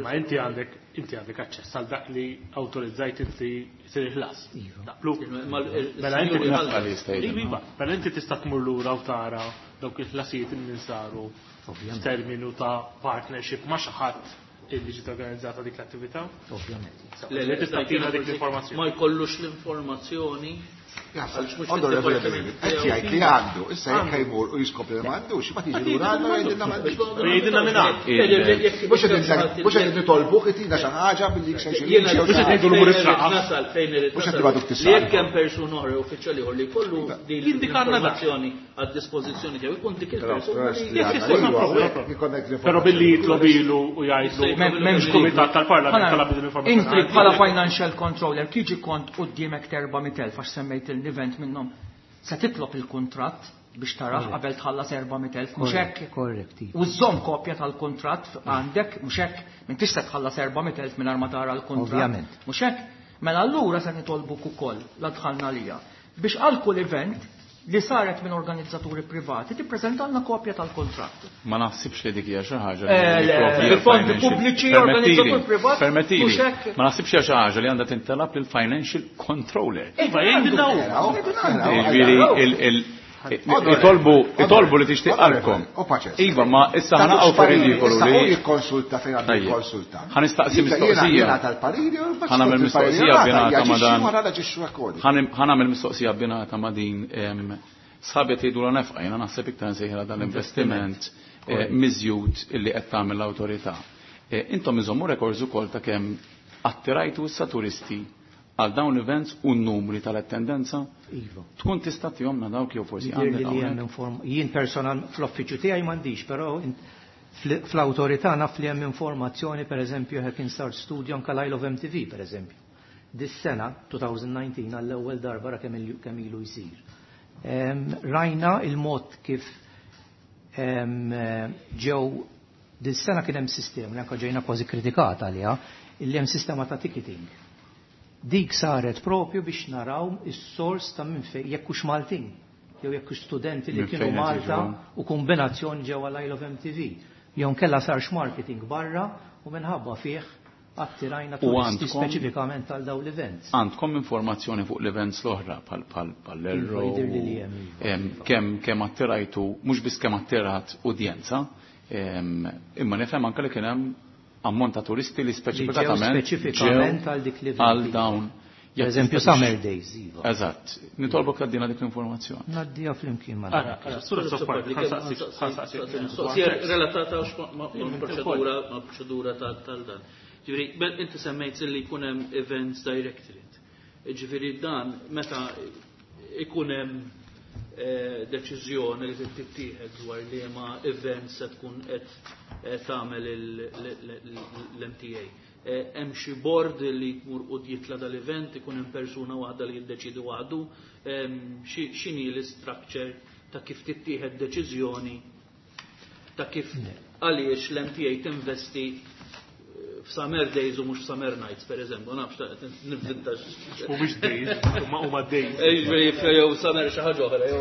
Ma inti għandek inti għandek aċċess għal dak li awtorizzajt inti jsir il-ħlas. Mela inti mela inti tista' tmur lura u tara dawk il-ħlasijiet li saru f'terminu ta' partnership ma' xi ħadd illi ġiet organizzata dik l-attività? Ovvjament. Le, le, tista' tina dik l-informazzjoni. Ma jkollux l-informazzjoni. Onorevoli David, qed jgħid li għandu, issa jekk jmur u jiskopri li m'għandux, ma tiġi lura għandna jgħidilna m'għandux. Jgħidilna minn hawn. Mhux qed nitolbuk itina xi ħaġa billi xejn xi. Mhux qed ngħidu l-umur is-saqa. Nasal fejn irid. Mhux qed nibgħatuk tisal. Li jekk hemm persuna oħra uffiċjali ieħor li jkollu din l-informazzjoni għad-dispożizzjoni tiegħu jkun dik il-persuna. Però billi jitlobilu u jgħidlu m'hemmx kumitat tal-Parlament talab din l-informazzjoni. Inti bħala financial controller kiġi kont quddiemek terba' mitt elf għax semmejt l-event minnhom. Se titlob il-kuntratt biex tarax qabel tħallas erba' mitt elf, mhux hekk? Korrekt. U żżomm kopja tal-kuntratt għandek, mhux hekk? M'intix se tħallas erba' mitt elf mingħajr ma tara l-kuntratt. Ovvjament. Mhux hekk? Mela allura se nitolbuk ukoll la dħalna lija biex għal kull event li saret minn organizzaturi privati tippreżentalna kopja tal-kontratt. Ma naħsibx li dik hija xi ħaġa li fondi pubbliċi organizzatur privat. Permettili, ma naħsibx hija xi ħaġa li għandha tintalab lil financial controller. Iva, jgħidilna hu. Jiġifieri itolbu itolbu li tixtieq qalbkom. Iva, ma issa ħanaqgħu fir-ridikolu li jikkonsulta fejn għandu jikkonsulta. Ħa nistaqsi mistoqsija. Ħa nagħmel mistoqsija binata ma dan. Ħa nagħmel mistoqsija binata ma din sħabet jgħidu la nefqa, jiena naħseb iktar nsejħilha dan l-investiment miżjud illi qed tagħmel l-awtorità. Intom iżommu rekords ukoll ta' kemm attirajtu issa turisti għal dawn l-events u n-numri tal-attendenza? Iva. Tkun tista' tihomna dawk jew forsi għandek hawnhekk? Jien personal fl-uffiċċju tiegħi m'għandix, però fl-awtorità naf li hemm informazzjoni, pereżempju hekk instar studio anke l-Isle of M T V pereżempju. Dis-sena twenty nineteen għall-ewwel darba ra kemm ilu jsir. Rajna il-mod kif ġew dis-sena kien hemm sistema li anke ġejna kważi kritikata għaliha, illi hemm sistema ta' ticketing. Dik saret propju biex naraw is-sors ta' minn fejn jekk hux Maltin jew jekk hux studenti li kienu Malta u kombinazzjoni ġewwa l-Isle of M T V. Jew nkella sarx marketing barra u minħabba fih attirajna turisti speċifikament għal dawn l-events. Għandkom informazzjoni fuq l-events l-oħra bħal l-Erro, kemm kemm attirajtu, mhux biss kemm attirat udjenza, imma nifhem anke li kien hemm ammont ta' turisti li speċifikatament speċifikament għal dik l-event. Għal dawn. Per eżempju Summer Days, iva. Eżatt. Nitolbok tgħaddina dik l-informazzjoni. Ngħaddiha flimkien ma' Ara, ara, sura soppardi, ħansaqsi. Relatata ma' proċedura, ma' proċedura tal-dan. Ġifieri, inti semmejt li jkun hemm Events Directorate. Ġifieri dan meta ikun hemm deċiżjoni li tittieħed dwar li ma events se tkun qed tagħmel l-M T A. Hemm xi board li jmur u jitla dal-event, ikun hemm persuna waħda li jiddeċidi waħdu, x'inhi l-structure ta' kif tittieħed deċiżjoni ta' kif għaliex l-M T A tinvesti f'Summer Days u mhux f'Summer Nights, per eżempju, nafx nivvinta. Mhumiex days, huma huma days. Jiġifieri jew summer xi ħaġa oħra, jew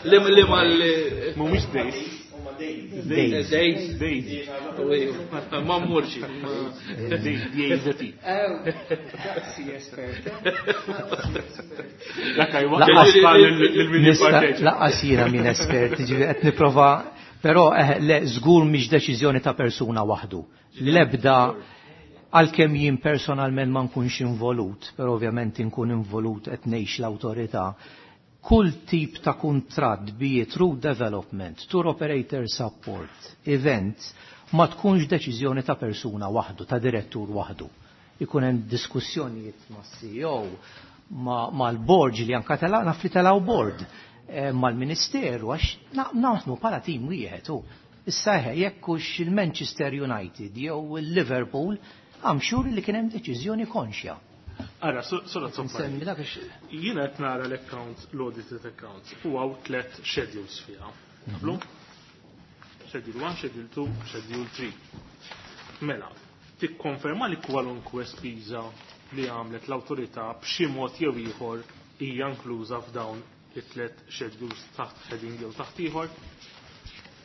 li li ma li Mhumiex days. Days. Days. Days. Ma mmurx. Days, D A Z. Daqsi espert. Dak jwaqqal lil Nista- Lanqas jiena minn espert, ġifieri qed nipprova, però eh, le, żgur mhix deċiżjoni ta' persuna waħdu. Lebda, għalkemm jien personalment ma nkunx involut, però ovvjament inkun involut qed ngħix l-awtorità. Kull tip ta' kuntratt, be it through development, tour operator support, events, ma tkunx deċiżjoni ta' persuna waħdu, ta' direttur waħdu. Ikun hemm diskussjonijiet ma' C E O, ma' mal-board li anka tela' naf li telgħu board, eh, mal-ministeru, għax naħdmu bħala tim wieħed. U issa eħe, jekk hux il-Manchester United jew il-Liverpool, I'm sure li kien hemm deċiżjoni konxja. Ara, sora. Nsemmi dak għax- Jiena qed nara l-accounts, l-audited accounts, u hawn tlet schedules fiha. Naqblu? Schedule one, Schedule two, Schedule three. Mela, tikkonferma li kwalunkwe spiża li għamlet l-awtorità b'xi mod jew ieħor hija inkluża f'dawn it-tlet schedules taħt heading jew taħt ieħor?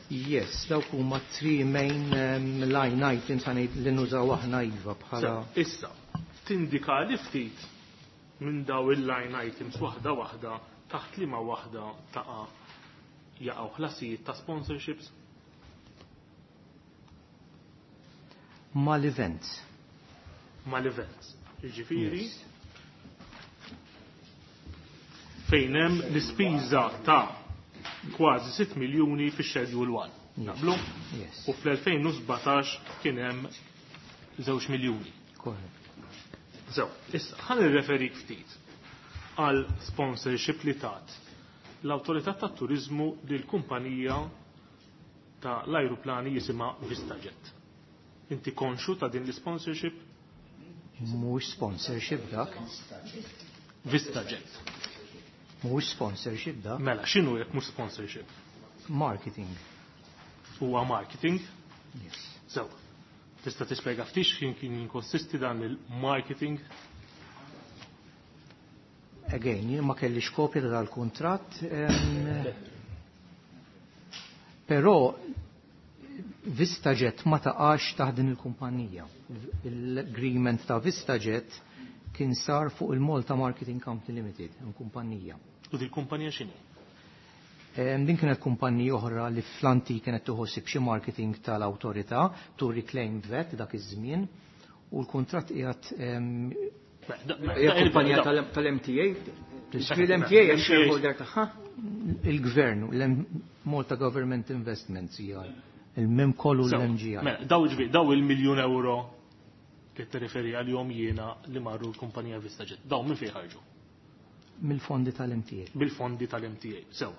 Yes, dawk huma three main um, line items ħanejt li nużaw aħna, iva, bħala. So, issa, tindika li ftit minn daw il-line items waħda waħda taħt liema waħda taqa' jaqgħu ħlasijiet ta' sponsorships? Mal-events. Mal-events. Jiġifieri Yes. fejn hemm l-ispiża ta' kważi sitt miljuni fi Schedule one. Naqblu? Yes. U fl-elfejn u sbatax kien hemm żewġ miljuni. Correct. So, issa, ħa nirreferik ftit għal sponsorship li tat l-Awtorità tat Turizmu lil kumpanija ta' l-ajruplani jisimha VistaJet. Inti konxu ta' din l-sponsorship? Mhux sponsorship dak. VistaJet. Mhux sponsorship dak. Mela, x'inhu jekk mhux sponsorship? Marketing. Huwa marketing? Yes. So, tista' tispjega ftit x'kien kien jinkonsisti dan il-marketing? Again, jien ma kellix kopja ta' dal-kuntratt. em, Però VistaJet ma taqax taħt din il-kumpanija. L-agreement ta' VistaJet kien sar fuq il-Malta Marketing Company Limited, kumpanija. U din kumpanija x'inhi? Em, Din kienet kumpanija oħra li fl-antik kienet tieħu ħsieb xi marketing tal-awtorità, to reclaim VAT dak iż-żmien, u l-kuntratt qiegħed em, Hija kumpanija tal-M T A. L-M T A hija shareholder tagħha. Il-gvern, l-Malta Government Investments hija il-mem kollu So, l-M G I. Mela, daw ġvi, daw il-miljun euro li tirreferi għalihom jiena li marru l-kumpanija VistaJet. Daw minn fejn ħarġu? Mill-fondi tal-M T A. Bil-fondi tal-M T A. Sew.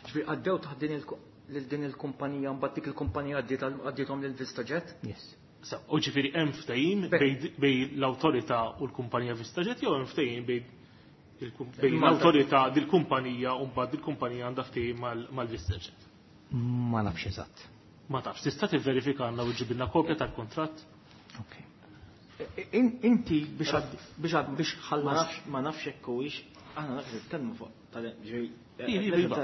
Ġifieri għaddew taħt din il- lil din il-kumpanija, mbagħad dik il-kumpanija għaddiet għaddietom lil VistaJet. Yes. Sew, u ġifieri hemm ftehim bej bej l-awtorità u l-kumpanija VistaJet jew hemm ftehim bej il-kum- bej l-awtorità dil-kumpanija u mbagħad dil-kumpanija għandha ftehim mal- mal-VistaJet? Ma nafx eżatt. Ma tafx, tista' tivverifika għandna u ġibilna kopja tal-kontratt? In- Inti biex għad- biex għad- biex Ma ħallas nafx ma nafx hekk huwiex aħna nafx nitkellmu fuq tal ġifieri Iva, iva.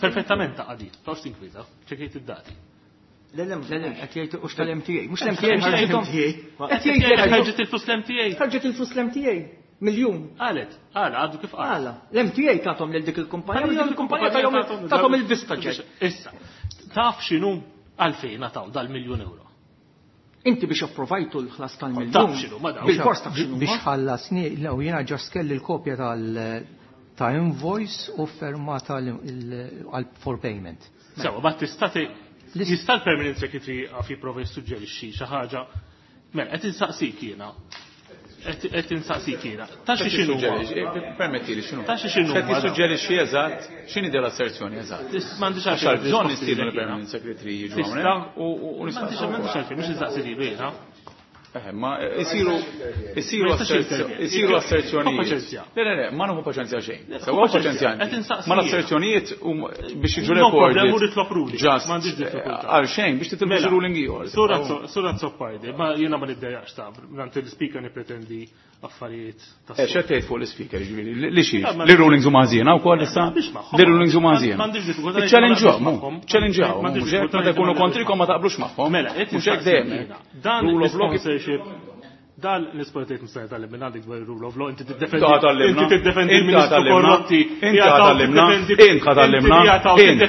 Perfettament ta' għadi, tawx tinkwita, ċekejt id-dati. Le, le, le, qed jgħid hux tal-M T A. Mhux l-M T A ħarġithom. Qed jgħid ħarġet il-flus l-M T A. Ħarġet il-flus l-M T A. Miljun. Qalet, għala, għadu kif qal. Għala, l-M T A tathom lil dik il-kumpanija, dik il-kumpanija tajhom tathom il-VistaJet. Issa, taf x'inhu għalfejn nataw dal-miljun euro? Inti biex approvajtu l-ħlas tal-miljun. Taf x'inhu, ma dawx. Bil-fors taf x'inhu. Biex ħallasni, le, jiena just kelli l-kopja tal- ta' invoice u fermata l- il- għal for payment. Sewa, ma tista' jista' l-permanent secretary għaf jipprova jissuġġerixxi xi ħaġa. Mela, qed insaqsik jiena. Qed insaqsik jiena. Ta' xi x'inhu? Permetti li x'inhu? Ta' xi x'inhu? Qed jissuġġerixxi eżatt, x'inhi del asserzjoni eżatt? M'għandix Għax għalfejn bżonn risposti nistiednu lilek jiena. l-permanent secretary jiġu Tista' hawnhekk u u M'għandix m'għandix għalfejn, mhux insaqsi lilu jiena. Eh, ma isiru isiru isiru asserzjonijiet. Le, le, le, ma nieħu paċenzja xejn. Sewa paċenzja. Ma l-asserzjonijiet biex jiġu recorded. Just għal xejn biex titilbu xi ruling ieħor. Sur Azzopardi, ma jiena ma niddejjaqx ta' nant il-speaker nippretendi affarijiet ta' Eh, x'qed tgħid fuq l-ispeaker ġifieri, li xi li rulings huma ħażiena wkoll issa? Li rulings huma ħażiena. Challenge-hom, challenge-hom, mhux hekk meta jkunu kontrikom ma taqblux magħhom. Mela, mhux hekk dejjem. Dan Rule of law sponsorship dan l-isportiet mista' jitgħallem minn għandek dwar rule of law, inti tiddefendi inti tiddefendi il-Ministru korrotti, inti tgħallimna, int tgħallimna, int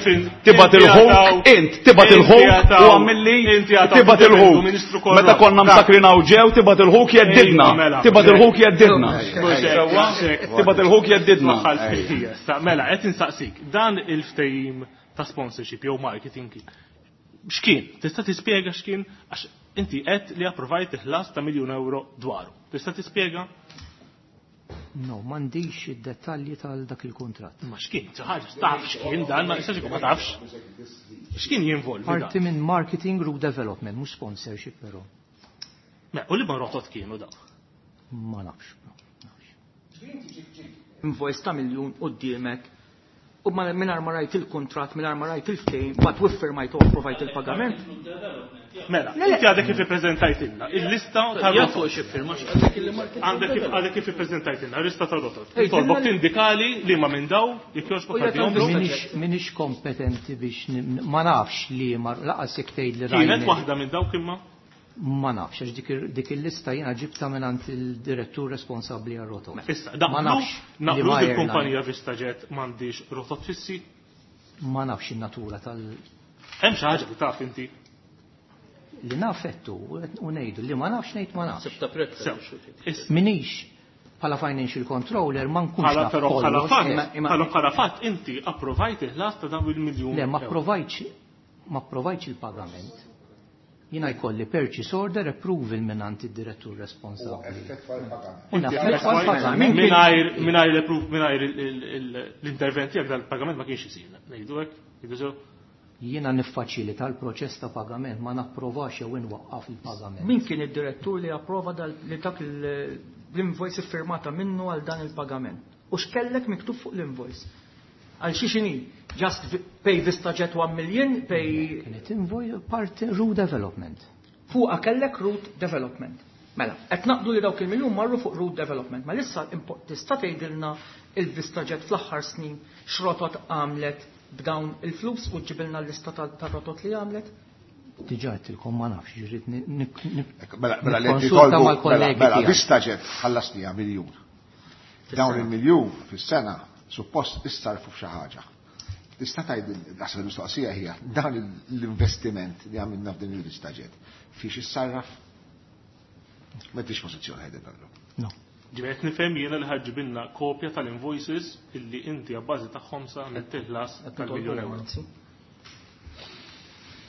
tibgħat il-ħuk, int tibgħat il-ħuk u għamilli tibgħat il-ħuk. Meta konna msakrin hawn ġew tibgħat il-ħuk jeddidna, tibgħat il-ħuk jeddidna. Tibgħat il-ħuk jeddidna. Mela, qed insaqsik, dan il-ftehim ta' sponsorship jew marketing x'kien? Tista' tispjega x'kien? Għax inti qed li approvajt il-ħlas ta' miljun euro dwaru. Tista' tispjega? No, m'għandix id-dettalji tal dak il-kuntratt. Ma x'kien? Xi ħaġa taf x'kien dan, ma jistax ikun ma tafx. X'kien jinvolvi dan? Parti minn marketing route development, mhux sponsorship però. Ma u li ma rotot kienu dawn? Ma nafx. Invoice ta' miljun quddiemek u mingħajr ma rajt il-kuntratt, mingħajr ma rajt il-ftehim, bat wiffirmajt u approvajt il-pagament. Mela, inti għadek kif ippreżentajtilna il-lista ta' rotot. Għandek kif għadek kif ippreżentajtilna il-lista ta' rotot. Tolbok tindikali li ma minn daw jekk jogħġbok tagħtihom. Minix kompetenti biex ma nafx li ma laqas jekk tgħid li rajna. Kienet waħda minn dawk imma? Ma nafx, għax dik il-lista jiena ġibta mingħand il-direttur responsabbli għar-rotot. Issa, ma nafx. Naqblu il-kumpanija VistaJet m'għandix rotot fissi? Ma nafx in-natura tal. Hemm xi ħaġa li taf inti? Li naf ettu u ngħidu li ma nafx ngħid ma nafx. Sibta prezz. Minix bħala financial controller ma nkunx naf. Però bħala fatt, bħala fatt inti approvajt il-ħlas ta' dawn il-miljun. Le, ma approvajtx ma approvajtx il-pagament. Jiena jkolli purchase order approval mingħand id-direttur responsabbli. Mingħajr mingħajr l-approve mingħajr l-intervent tiegħek dal-pagament ma kienx isir. Ngħidu hekk, ngħidu sew. Jiena niffaċilita l-proċess ta' pagament, ma napprovax jew inwaqqaf il-pagament. Min kien id-direttur li approva li dak l-invoice iffirmata minnu għal dan il-pagament? U x'kellek miktub fuq l-invoice? Għal xi xini? Just pay VistaJet one million, pay... Kienet invoice parti route development. Fuqa kellek route development. Mela, qed naqdu li dawk il-miljun marru fuq route development, ma issa tista' tgħidilna il-VistaJet fl-aħħar snin x'rotot għamlet b'dawn il-flus u ġibilna l-lista tar-rotot li għamlet? Diġà għedtilkom ma nafx, ġirid Mela nikkonsulta mal-kollegi. Mela VistaJet ħallasniha miljun. Dawn il-miljun fis-sena suppost issarfu f'xi ħaġa. Tista' tgħid naħseb il-mistoqsija hija dan l-investiment li għamilna f'din il-VistaJet fiex issarraf? M'għandix pożizzjoni ħedin allura. No. Ġifieri qed nifhem jiena li ħaġġibilna kopja tal-invoices illi inti abbażi tagħhom sa għamilt il-ħlas tal-miljun euro.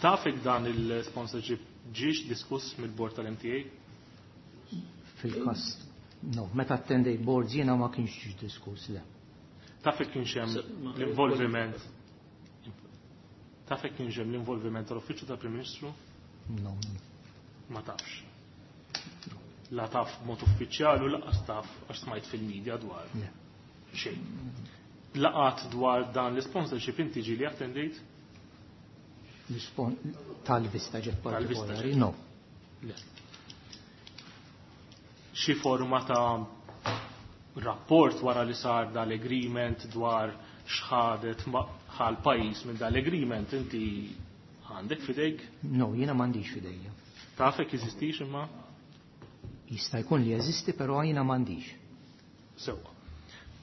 Taf jekk dan il-sponsorship ġiex diskuss mill-bord tal-M T A? Fil-każ, no, meta attendejt boards jiena ma kienx ġiex diskuss, le. Taf jekk kienx hemm l-involviment Taf jekk kienx hemm l-involviment tal-Uffiċċju tal-Prim Ministru? No. Ma tafx. La taf mod uffiċjali u lanqas taf għax smajt fil-medja dwar. Xejn. Laqat dwar dan l-sponsorship inti ġieli attendejt? Tal-VistaJet partikolari, no. Le. Xi forma ta' rapport wara li sar dal-agreement dwar x'ħadet ħal pajjiż minn dal-agreement inti għandek fidejk? No, jiena m'għandix fidejja. Taf jekk jeżistix imma? Jista' jkun li jeżisti, però jiena m'għandix. Sewwa.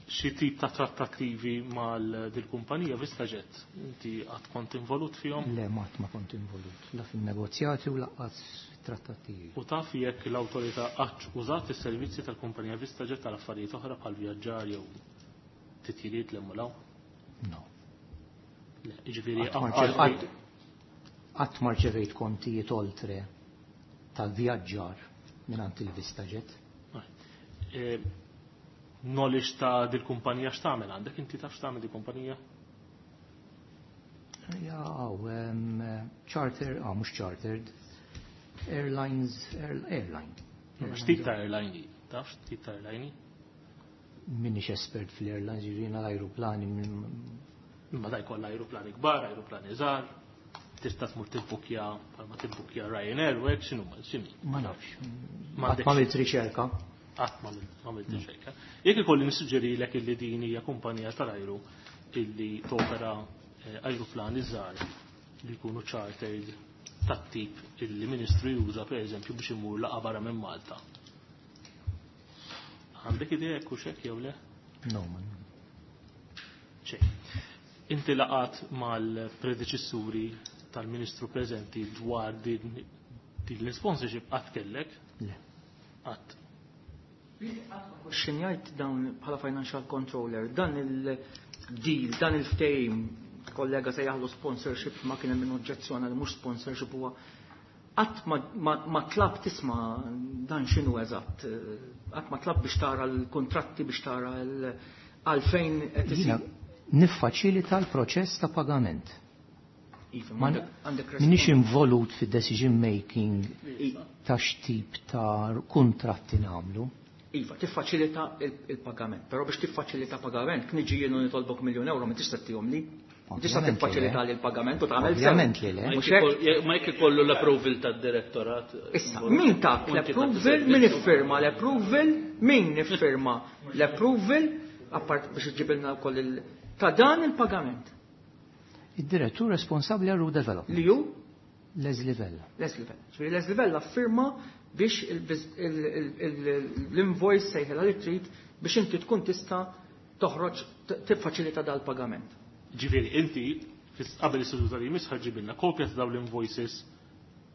Xi tip ta' trattattivi mal dil-kumpanija VistaJet inti qatt kont involut fihom? Le, ma ma kont involut, la fin-negozjati u lanqas fit-trattattivi. U taf jekk l-awtorità qatt użat is-servizzi tal-kumpanija VistaJet tal affarijiet oħra bħal vjaġġar jew titjiriet li mulaw? No. Le, jiġifieri qatt ma rċevejt kontijiet oltre tal-vjaġġar mingħand il-VistaJet. Knowledge ta' dil-kumpanija x'tagħmel għandek inti taf x'tagħmel dil-kumpanija? Ja, charter, ah, mhux chartered. Airlines, airline. X'tip ta' airline? Taf x'tip ta' airline? Minix espert fl-airlines, jiġifieri l-ajruplani. Imma da jkollha ajruplani kbar, ajruplani żgħar, tista' tmur tibbukja bħalma tibbukja Ryanair u hekk x'inhu x'inhi. Ma nafx. Ma għamilt riċerka. Qatt ma għamilt riċerka. Jekk ikolli nissuġġerilek illi din hija kumpanija tal-ajru illi topera ajruplani żgħar li jkunu chartered tat-tip illi ministru juża pereżempju biex imur laqa barra minn Malta. Għandek idea jekk hux hekk jew le? No, man. Xejn. Inti laqat mal-predeċessuri tal-ministru preżenti dwar din din l-sponsorship qatt kellek? Le. Qatt. Xinjajt dawn bħala financial controller, dan il-deal, dan il-ftehim, kollega se jaħlu sponsorship ma kien hemm min oġġezzjona li mhux sponsorship huwa qatt ma tlab tisma' dan x'inhu eżatt, qatt ma tlab biex tara l-kontratti, biex tara għalfejn qed isir. Niffaċilita l-proċess ta' pagament. Minix involut fid-decision making ta' x'tip ta' kuntratti nagħmlu. Iva, tiffaċilita il-pagament, però biex tiffaċilita pagament, kien iġi jien nitolbok miljun euro, ma tista' tihom li. Tista' tiffaċilita li l-pagament u tagħmel. Ovvjament li le. Ma jekk ikollu l-approval tad-direttorat. Issa, min tak l-approval, min iffirma l-approval, min iffirma l-approval, appart biex iġibilna wkoll il ta' dan il-pagament. Id-direttur responsabbli għal development. Li hu? Leslie Vella. Leslie Vella. Ġifieri Leslie Vella firma biex l-invoice sejħela li trid biex inti tkun tista' toħroġ tiffaċilita dal-pagament. Ġifieri inti qabel is-seduta li jmiss ħaġibilna kopja ta' dawn l-invoices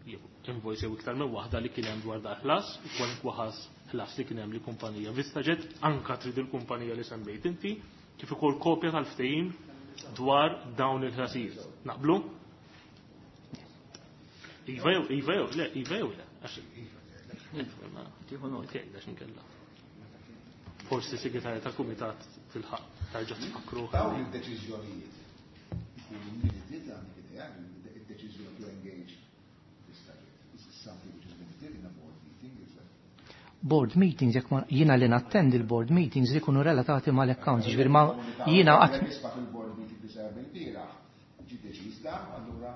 jew invoice jew iktar minn waħda li kien hemm dwar da ħlas, kwalunkwe ħas ħlas li kien hemm li kumpanija VistaJet, anka trid il-kumpanija li semmejt inti, kif ukoll kopja tal-ftehim dwar dawn il-ħlasijiet. Naqblu? Iva jew, iva jew, le, iva jew le. Tieħu nota. Għax inkella. Forsi segretarja tal-kumitat tilħaq tarġa' tfakru. Dawn il-deċiżjonijiet ikunu minuted għandek idea, id-deċiżjoni to engage VistaJet. Is this something which is minuted in a board meeting? Is that Board meetings, jekk jiena li nattendi l-board meetings li jkunu relatati mal-accounts, ġifieri ma jiena qatt Nisma' fil-board meeting li sar bil-bieraħ, ġie deċiż dan, allura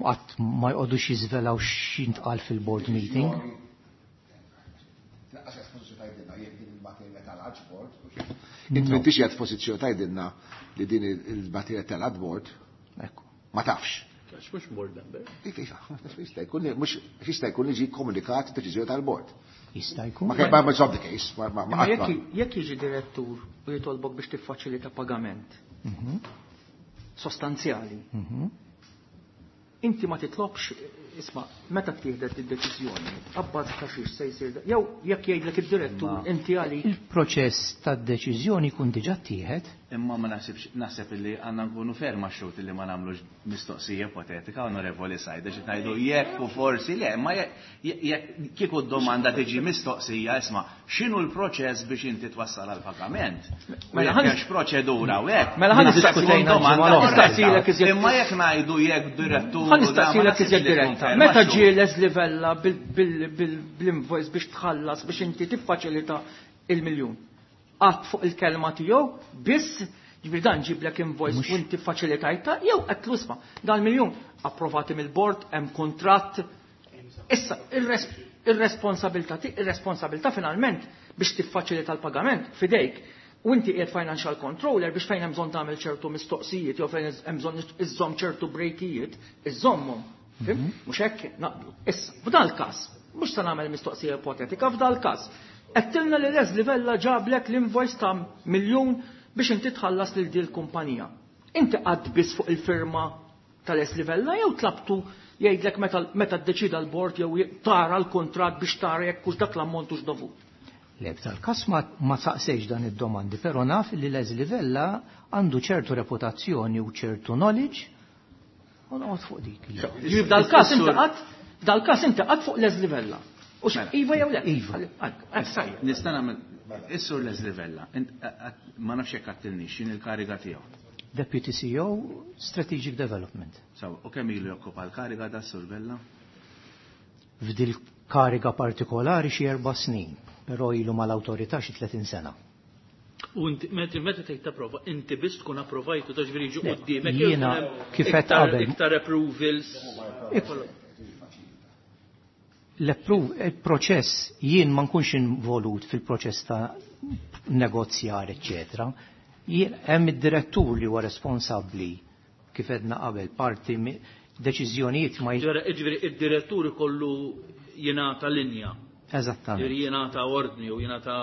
qatt ma jqogħdux jiżvelaw x'intqal fil-board meeting. Għax espożizzjoni tgħidilna jekk din il-materja tal-adboard. Inti m'intix qiegħed f'pożizzjoni tgħidilna li din il-materja tal-adboard. Ma tafx. Għax mhux board member. Iva, iva, jista' jkun mhux jista' jkun li ġie komunikat deċiżjoni tal-board. Jista' jkun. Ma ma it's not the case. Ma ma Ma jekk jekk jiġi direttur u jitolbok biex tiffaċilita pagament sostanzjali. Inti ma titlobx, isma', meta ttieħdet id-deċiżjoni, abbażi ta' xiex se jsir, jew jekk jgħidlek id-direttur inti għalik. Il-proċess tad-deċiżjoni jkun diġà ttieħed. Imma ma naħsibx, naħseb illi għandna nkunu ferma xut illi ma nagħmlux mistoqsija ipotetika, Onorevoli Said, għax ngħidu jekk u forsi le, ma jekk kieku d-domanda tiġi mistoqsija, isma', x'inhu l-proċess biex inti twassal għal pagament? Mela ħanx proċedura u hekk. Mela ħan diskutejna domanda nistaqsilek iżjed. Imma jekk ngħidu jekk direttur. Ħa nistaqsilek iżjed diretta. Meta ġie Leslie Vella bil-invoice biex tħallas biex inti tiffaċilita il-miljun? Qatt fuq il-kelma tiegħu biss, ġifieri dan ġiblek invoice u inti faċilitajta jew qed tlusma. Dan miljun approvati mill-board, hemm kuntratt. Issa ir-responsabilità ir-responsabilità finalment biex tiffaċilita l-pagament fidejk. U inti qiegħed financial controller biex fejn hemm bżonn tagħmel ċertu mistoqsijiet jew fejn hemm bżonn iżżomm ċertu brejkijiet, iżżommhom. Fim? Mhux hekk naqblu. Issa, f'dal każ, mhux se nagħmel mistoqsija ipotetika, f'dal każ. Għedtilna li Leslie Vella ġablek l-invoice ta' miljun biex inti tħallas lil din il-kumpanija. Inti qatt biss fuq il-firma ta' Leslie Vella jew tlabtu jgħidlek meta meta ddeċida l-bord jew tara l-kuntratt biex tara jekk hux dak l-ammont hux dovut. Le, f'dal-każ ma, ma saqsejx dan id-domandi, però naf li Leslie Vella għandu ċertu reputazzjoni u ċertu knowledge u noqgħod fuq dik. Ġifieri f'dal-każ inti qatt f'dal-każ inti qatt fuq Leslie Vella. U iva jew le? Iva. Nista' nagħmel is-sur Leslie Vella, ma nafx jekk għattilniex x'in il-kariga tiegħu. Deputy C E O Strategic Development. So, u kemm ilu jokkupa l-kariga da Sur Vella? F'dil kariga partikolari xi erba' snin, però ilu mal-awtorità xi tletin sena. U inti meta tgħid tapprova, inti biss tkun approvajtu ta' ġifieri jiġu quddiemek. Jiena kif qed qabel. Iktar approvals. Il-proċess jien ma nkunx involut fil-proċess ta' negozjar, eċċetera. Hemm id-direttur li huwa responsabbli kif edna qabel parti deċiżjonijiet ma Ġifieri id-direttur ikollu jingħata linja. Eżattament. Ġifieri jingħata ordni u jingħata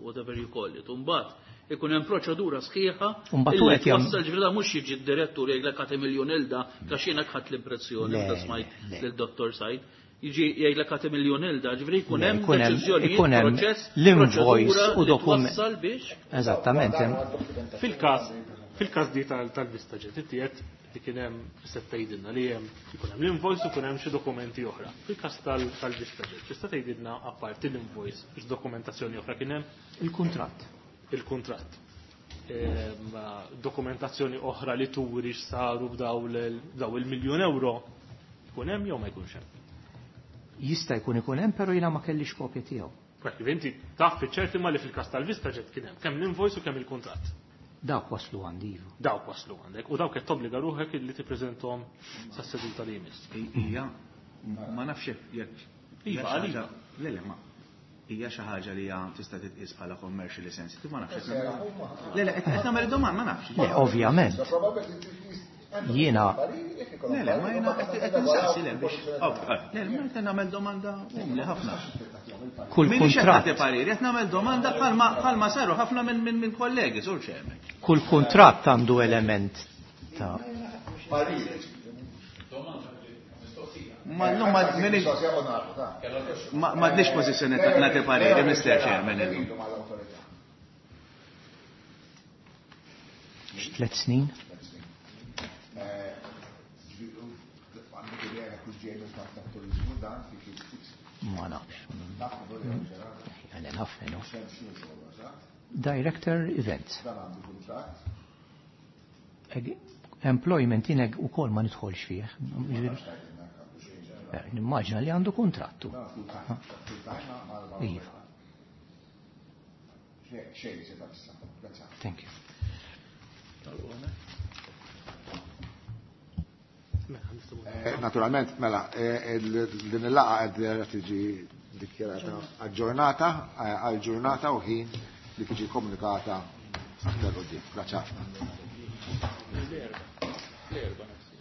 whatever you call it. Imbagħad ikun hemm proċedura sħiħa illi twassal, ġifieri da mhux jiġi d-direttur jgħidlek ħadd miljun ilda għax jiena ħadd l-impressjoni meta smajt lil Dottor Said. Jiġi jgħidlek ħadd miljun ilda, ġifieri jkun hemm deċiżjonijiet, proċess, l-invoice u dokument. Twassal biex. Eżattament. Fil-każ, fil-każ di tal-Vista Jet, inti qed li kien hemm se tgħidilna li hemm ikun hemm l-invoice u jkun hemm xi dokumenti oħra. Fil-każ tal-Vista Jet, tista' tgħidilna apparti l-invoice x'dokumentazzjoni oħra kien hemm? Il-kuntratt. Il-kuntratt. Ehm, dokumentazzjoni oħra li turi x'saru b'daw il-miljun euro ikun hemm jew ma jkunx hemm? Jista' jkun ikun hemm, però jiena ma kellix kopja tiegħu. Għax inti taf fiċ-ċerti ma li fil-każ tal-Vista Jet kien hemm kemm l-invoice u kemm il-kuntratt. Dawk waslu għandi, iva. Dawk waslu għandek. U dawk qed tobbliga ruħek li tippreżenthom sas-seduta li jmiss. Hija, ma nafx jekk Iva, għalija. Le, le, ma. Hija xi ħaġa li hija tista' titqies bħala commercially sensitive, ma nafx. Le, le, qed nagħmel domanda, ma nafx. Le, ovvjament. Jiena. Le, le, ma jiena qed insaqsi le biex. Le, ma qed nagħmel domanda umli ħafna. Kull Minix qed kuntratt. nagħti pariri, qed nagħmel domanda bħalma, bħalma saru ħafna minn, minn, minn kollegi, sur chairman. Kull kuntratt għandu element ta' Ma llum ma minix ma m'għandix pożizzjoni ta' nagħti pariri, Mister Chairman, illum. Tliet snin? Ma nafx. Għalli naf, no. Director Events. Employment ineg u kol ma nidħolx fih. Nimmaġina li għandu kontrattu. Iva. Thank you. Naturalment, mela, din il-laqgħa qed tiġi dikjarata aġġornata, għal ġurnata u ħin li tiġi komunikata aktar quddiem. Grazzi ħafna. L-erba'. L-erba' nafsi.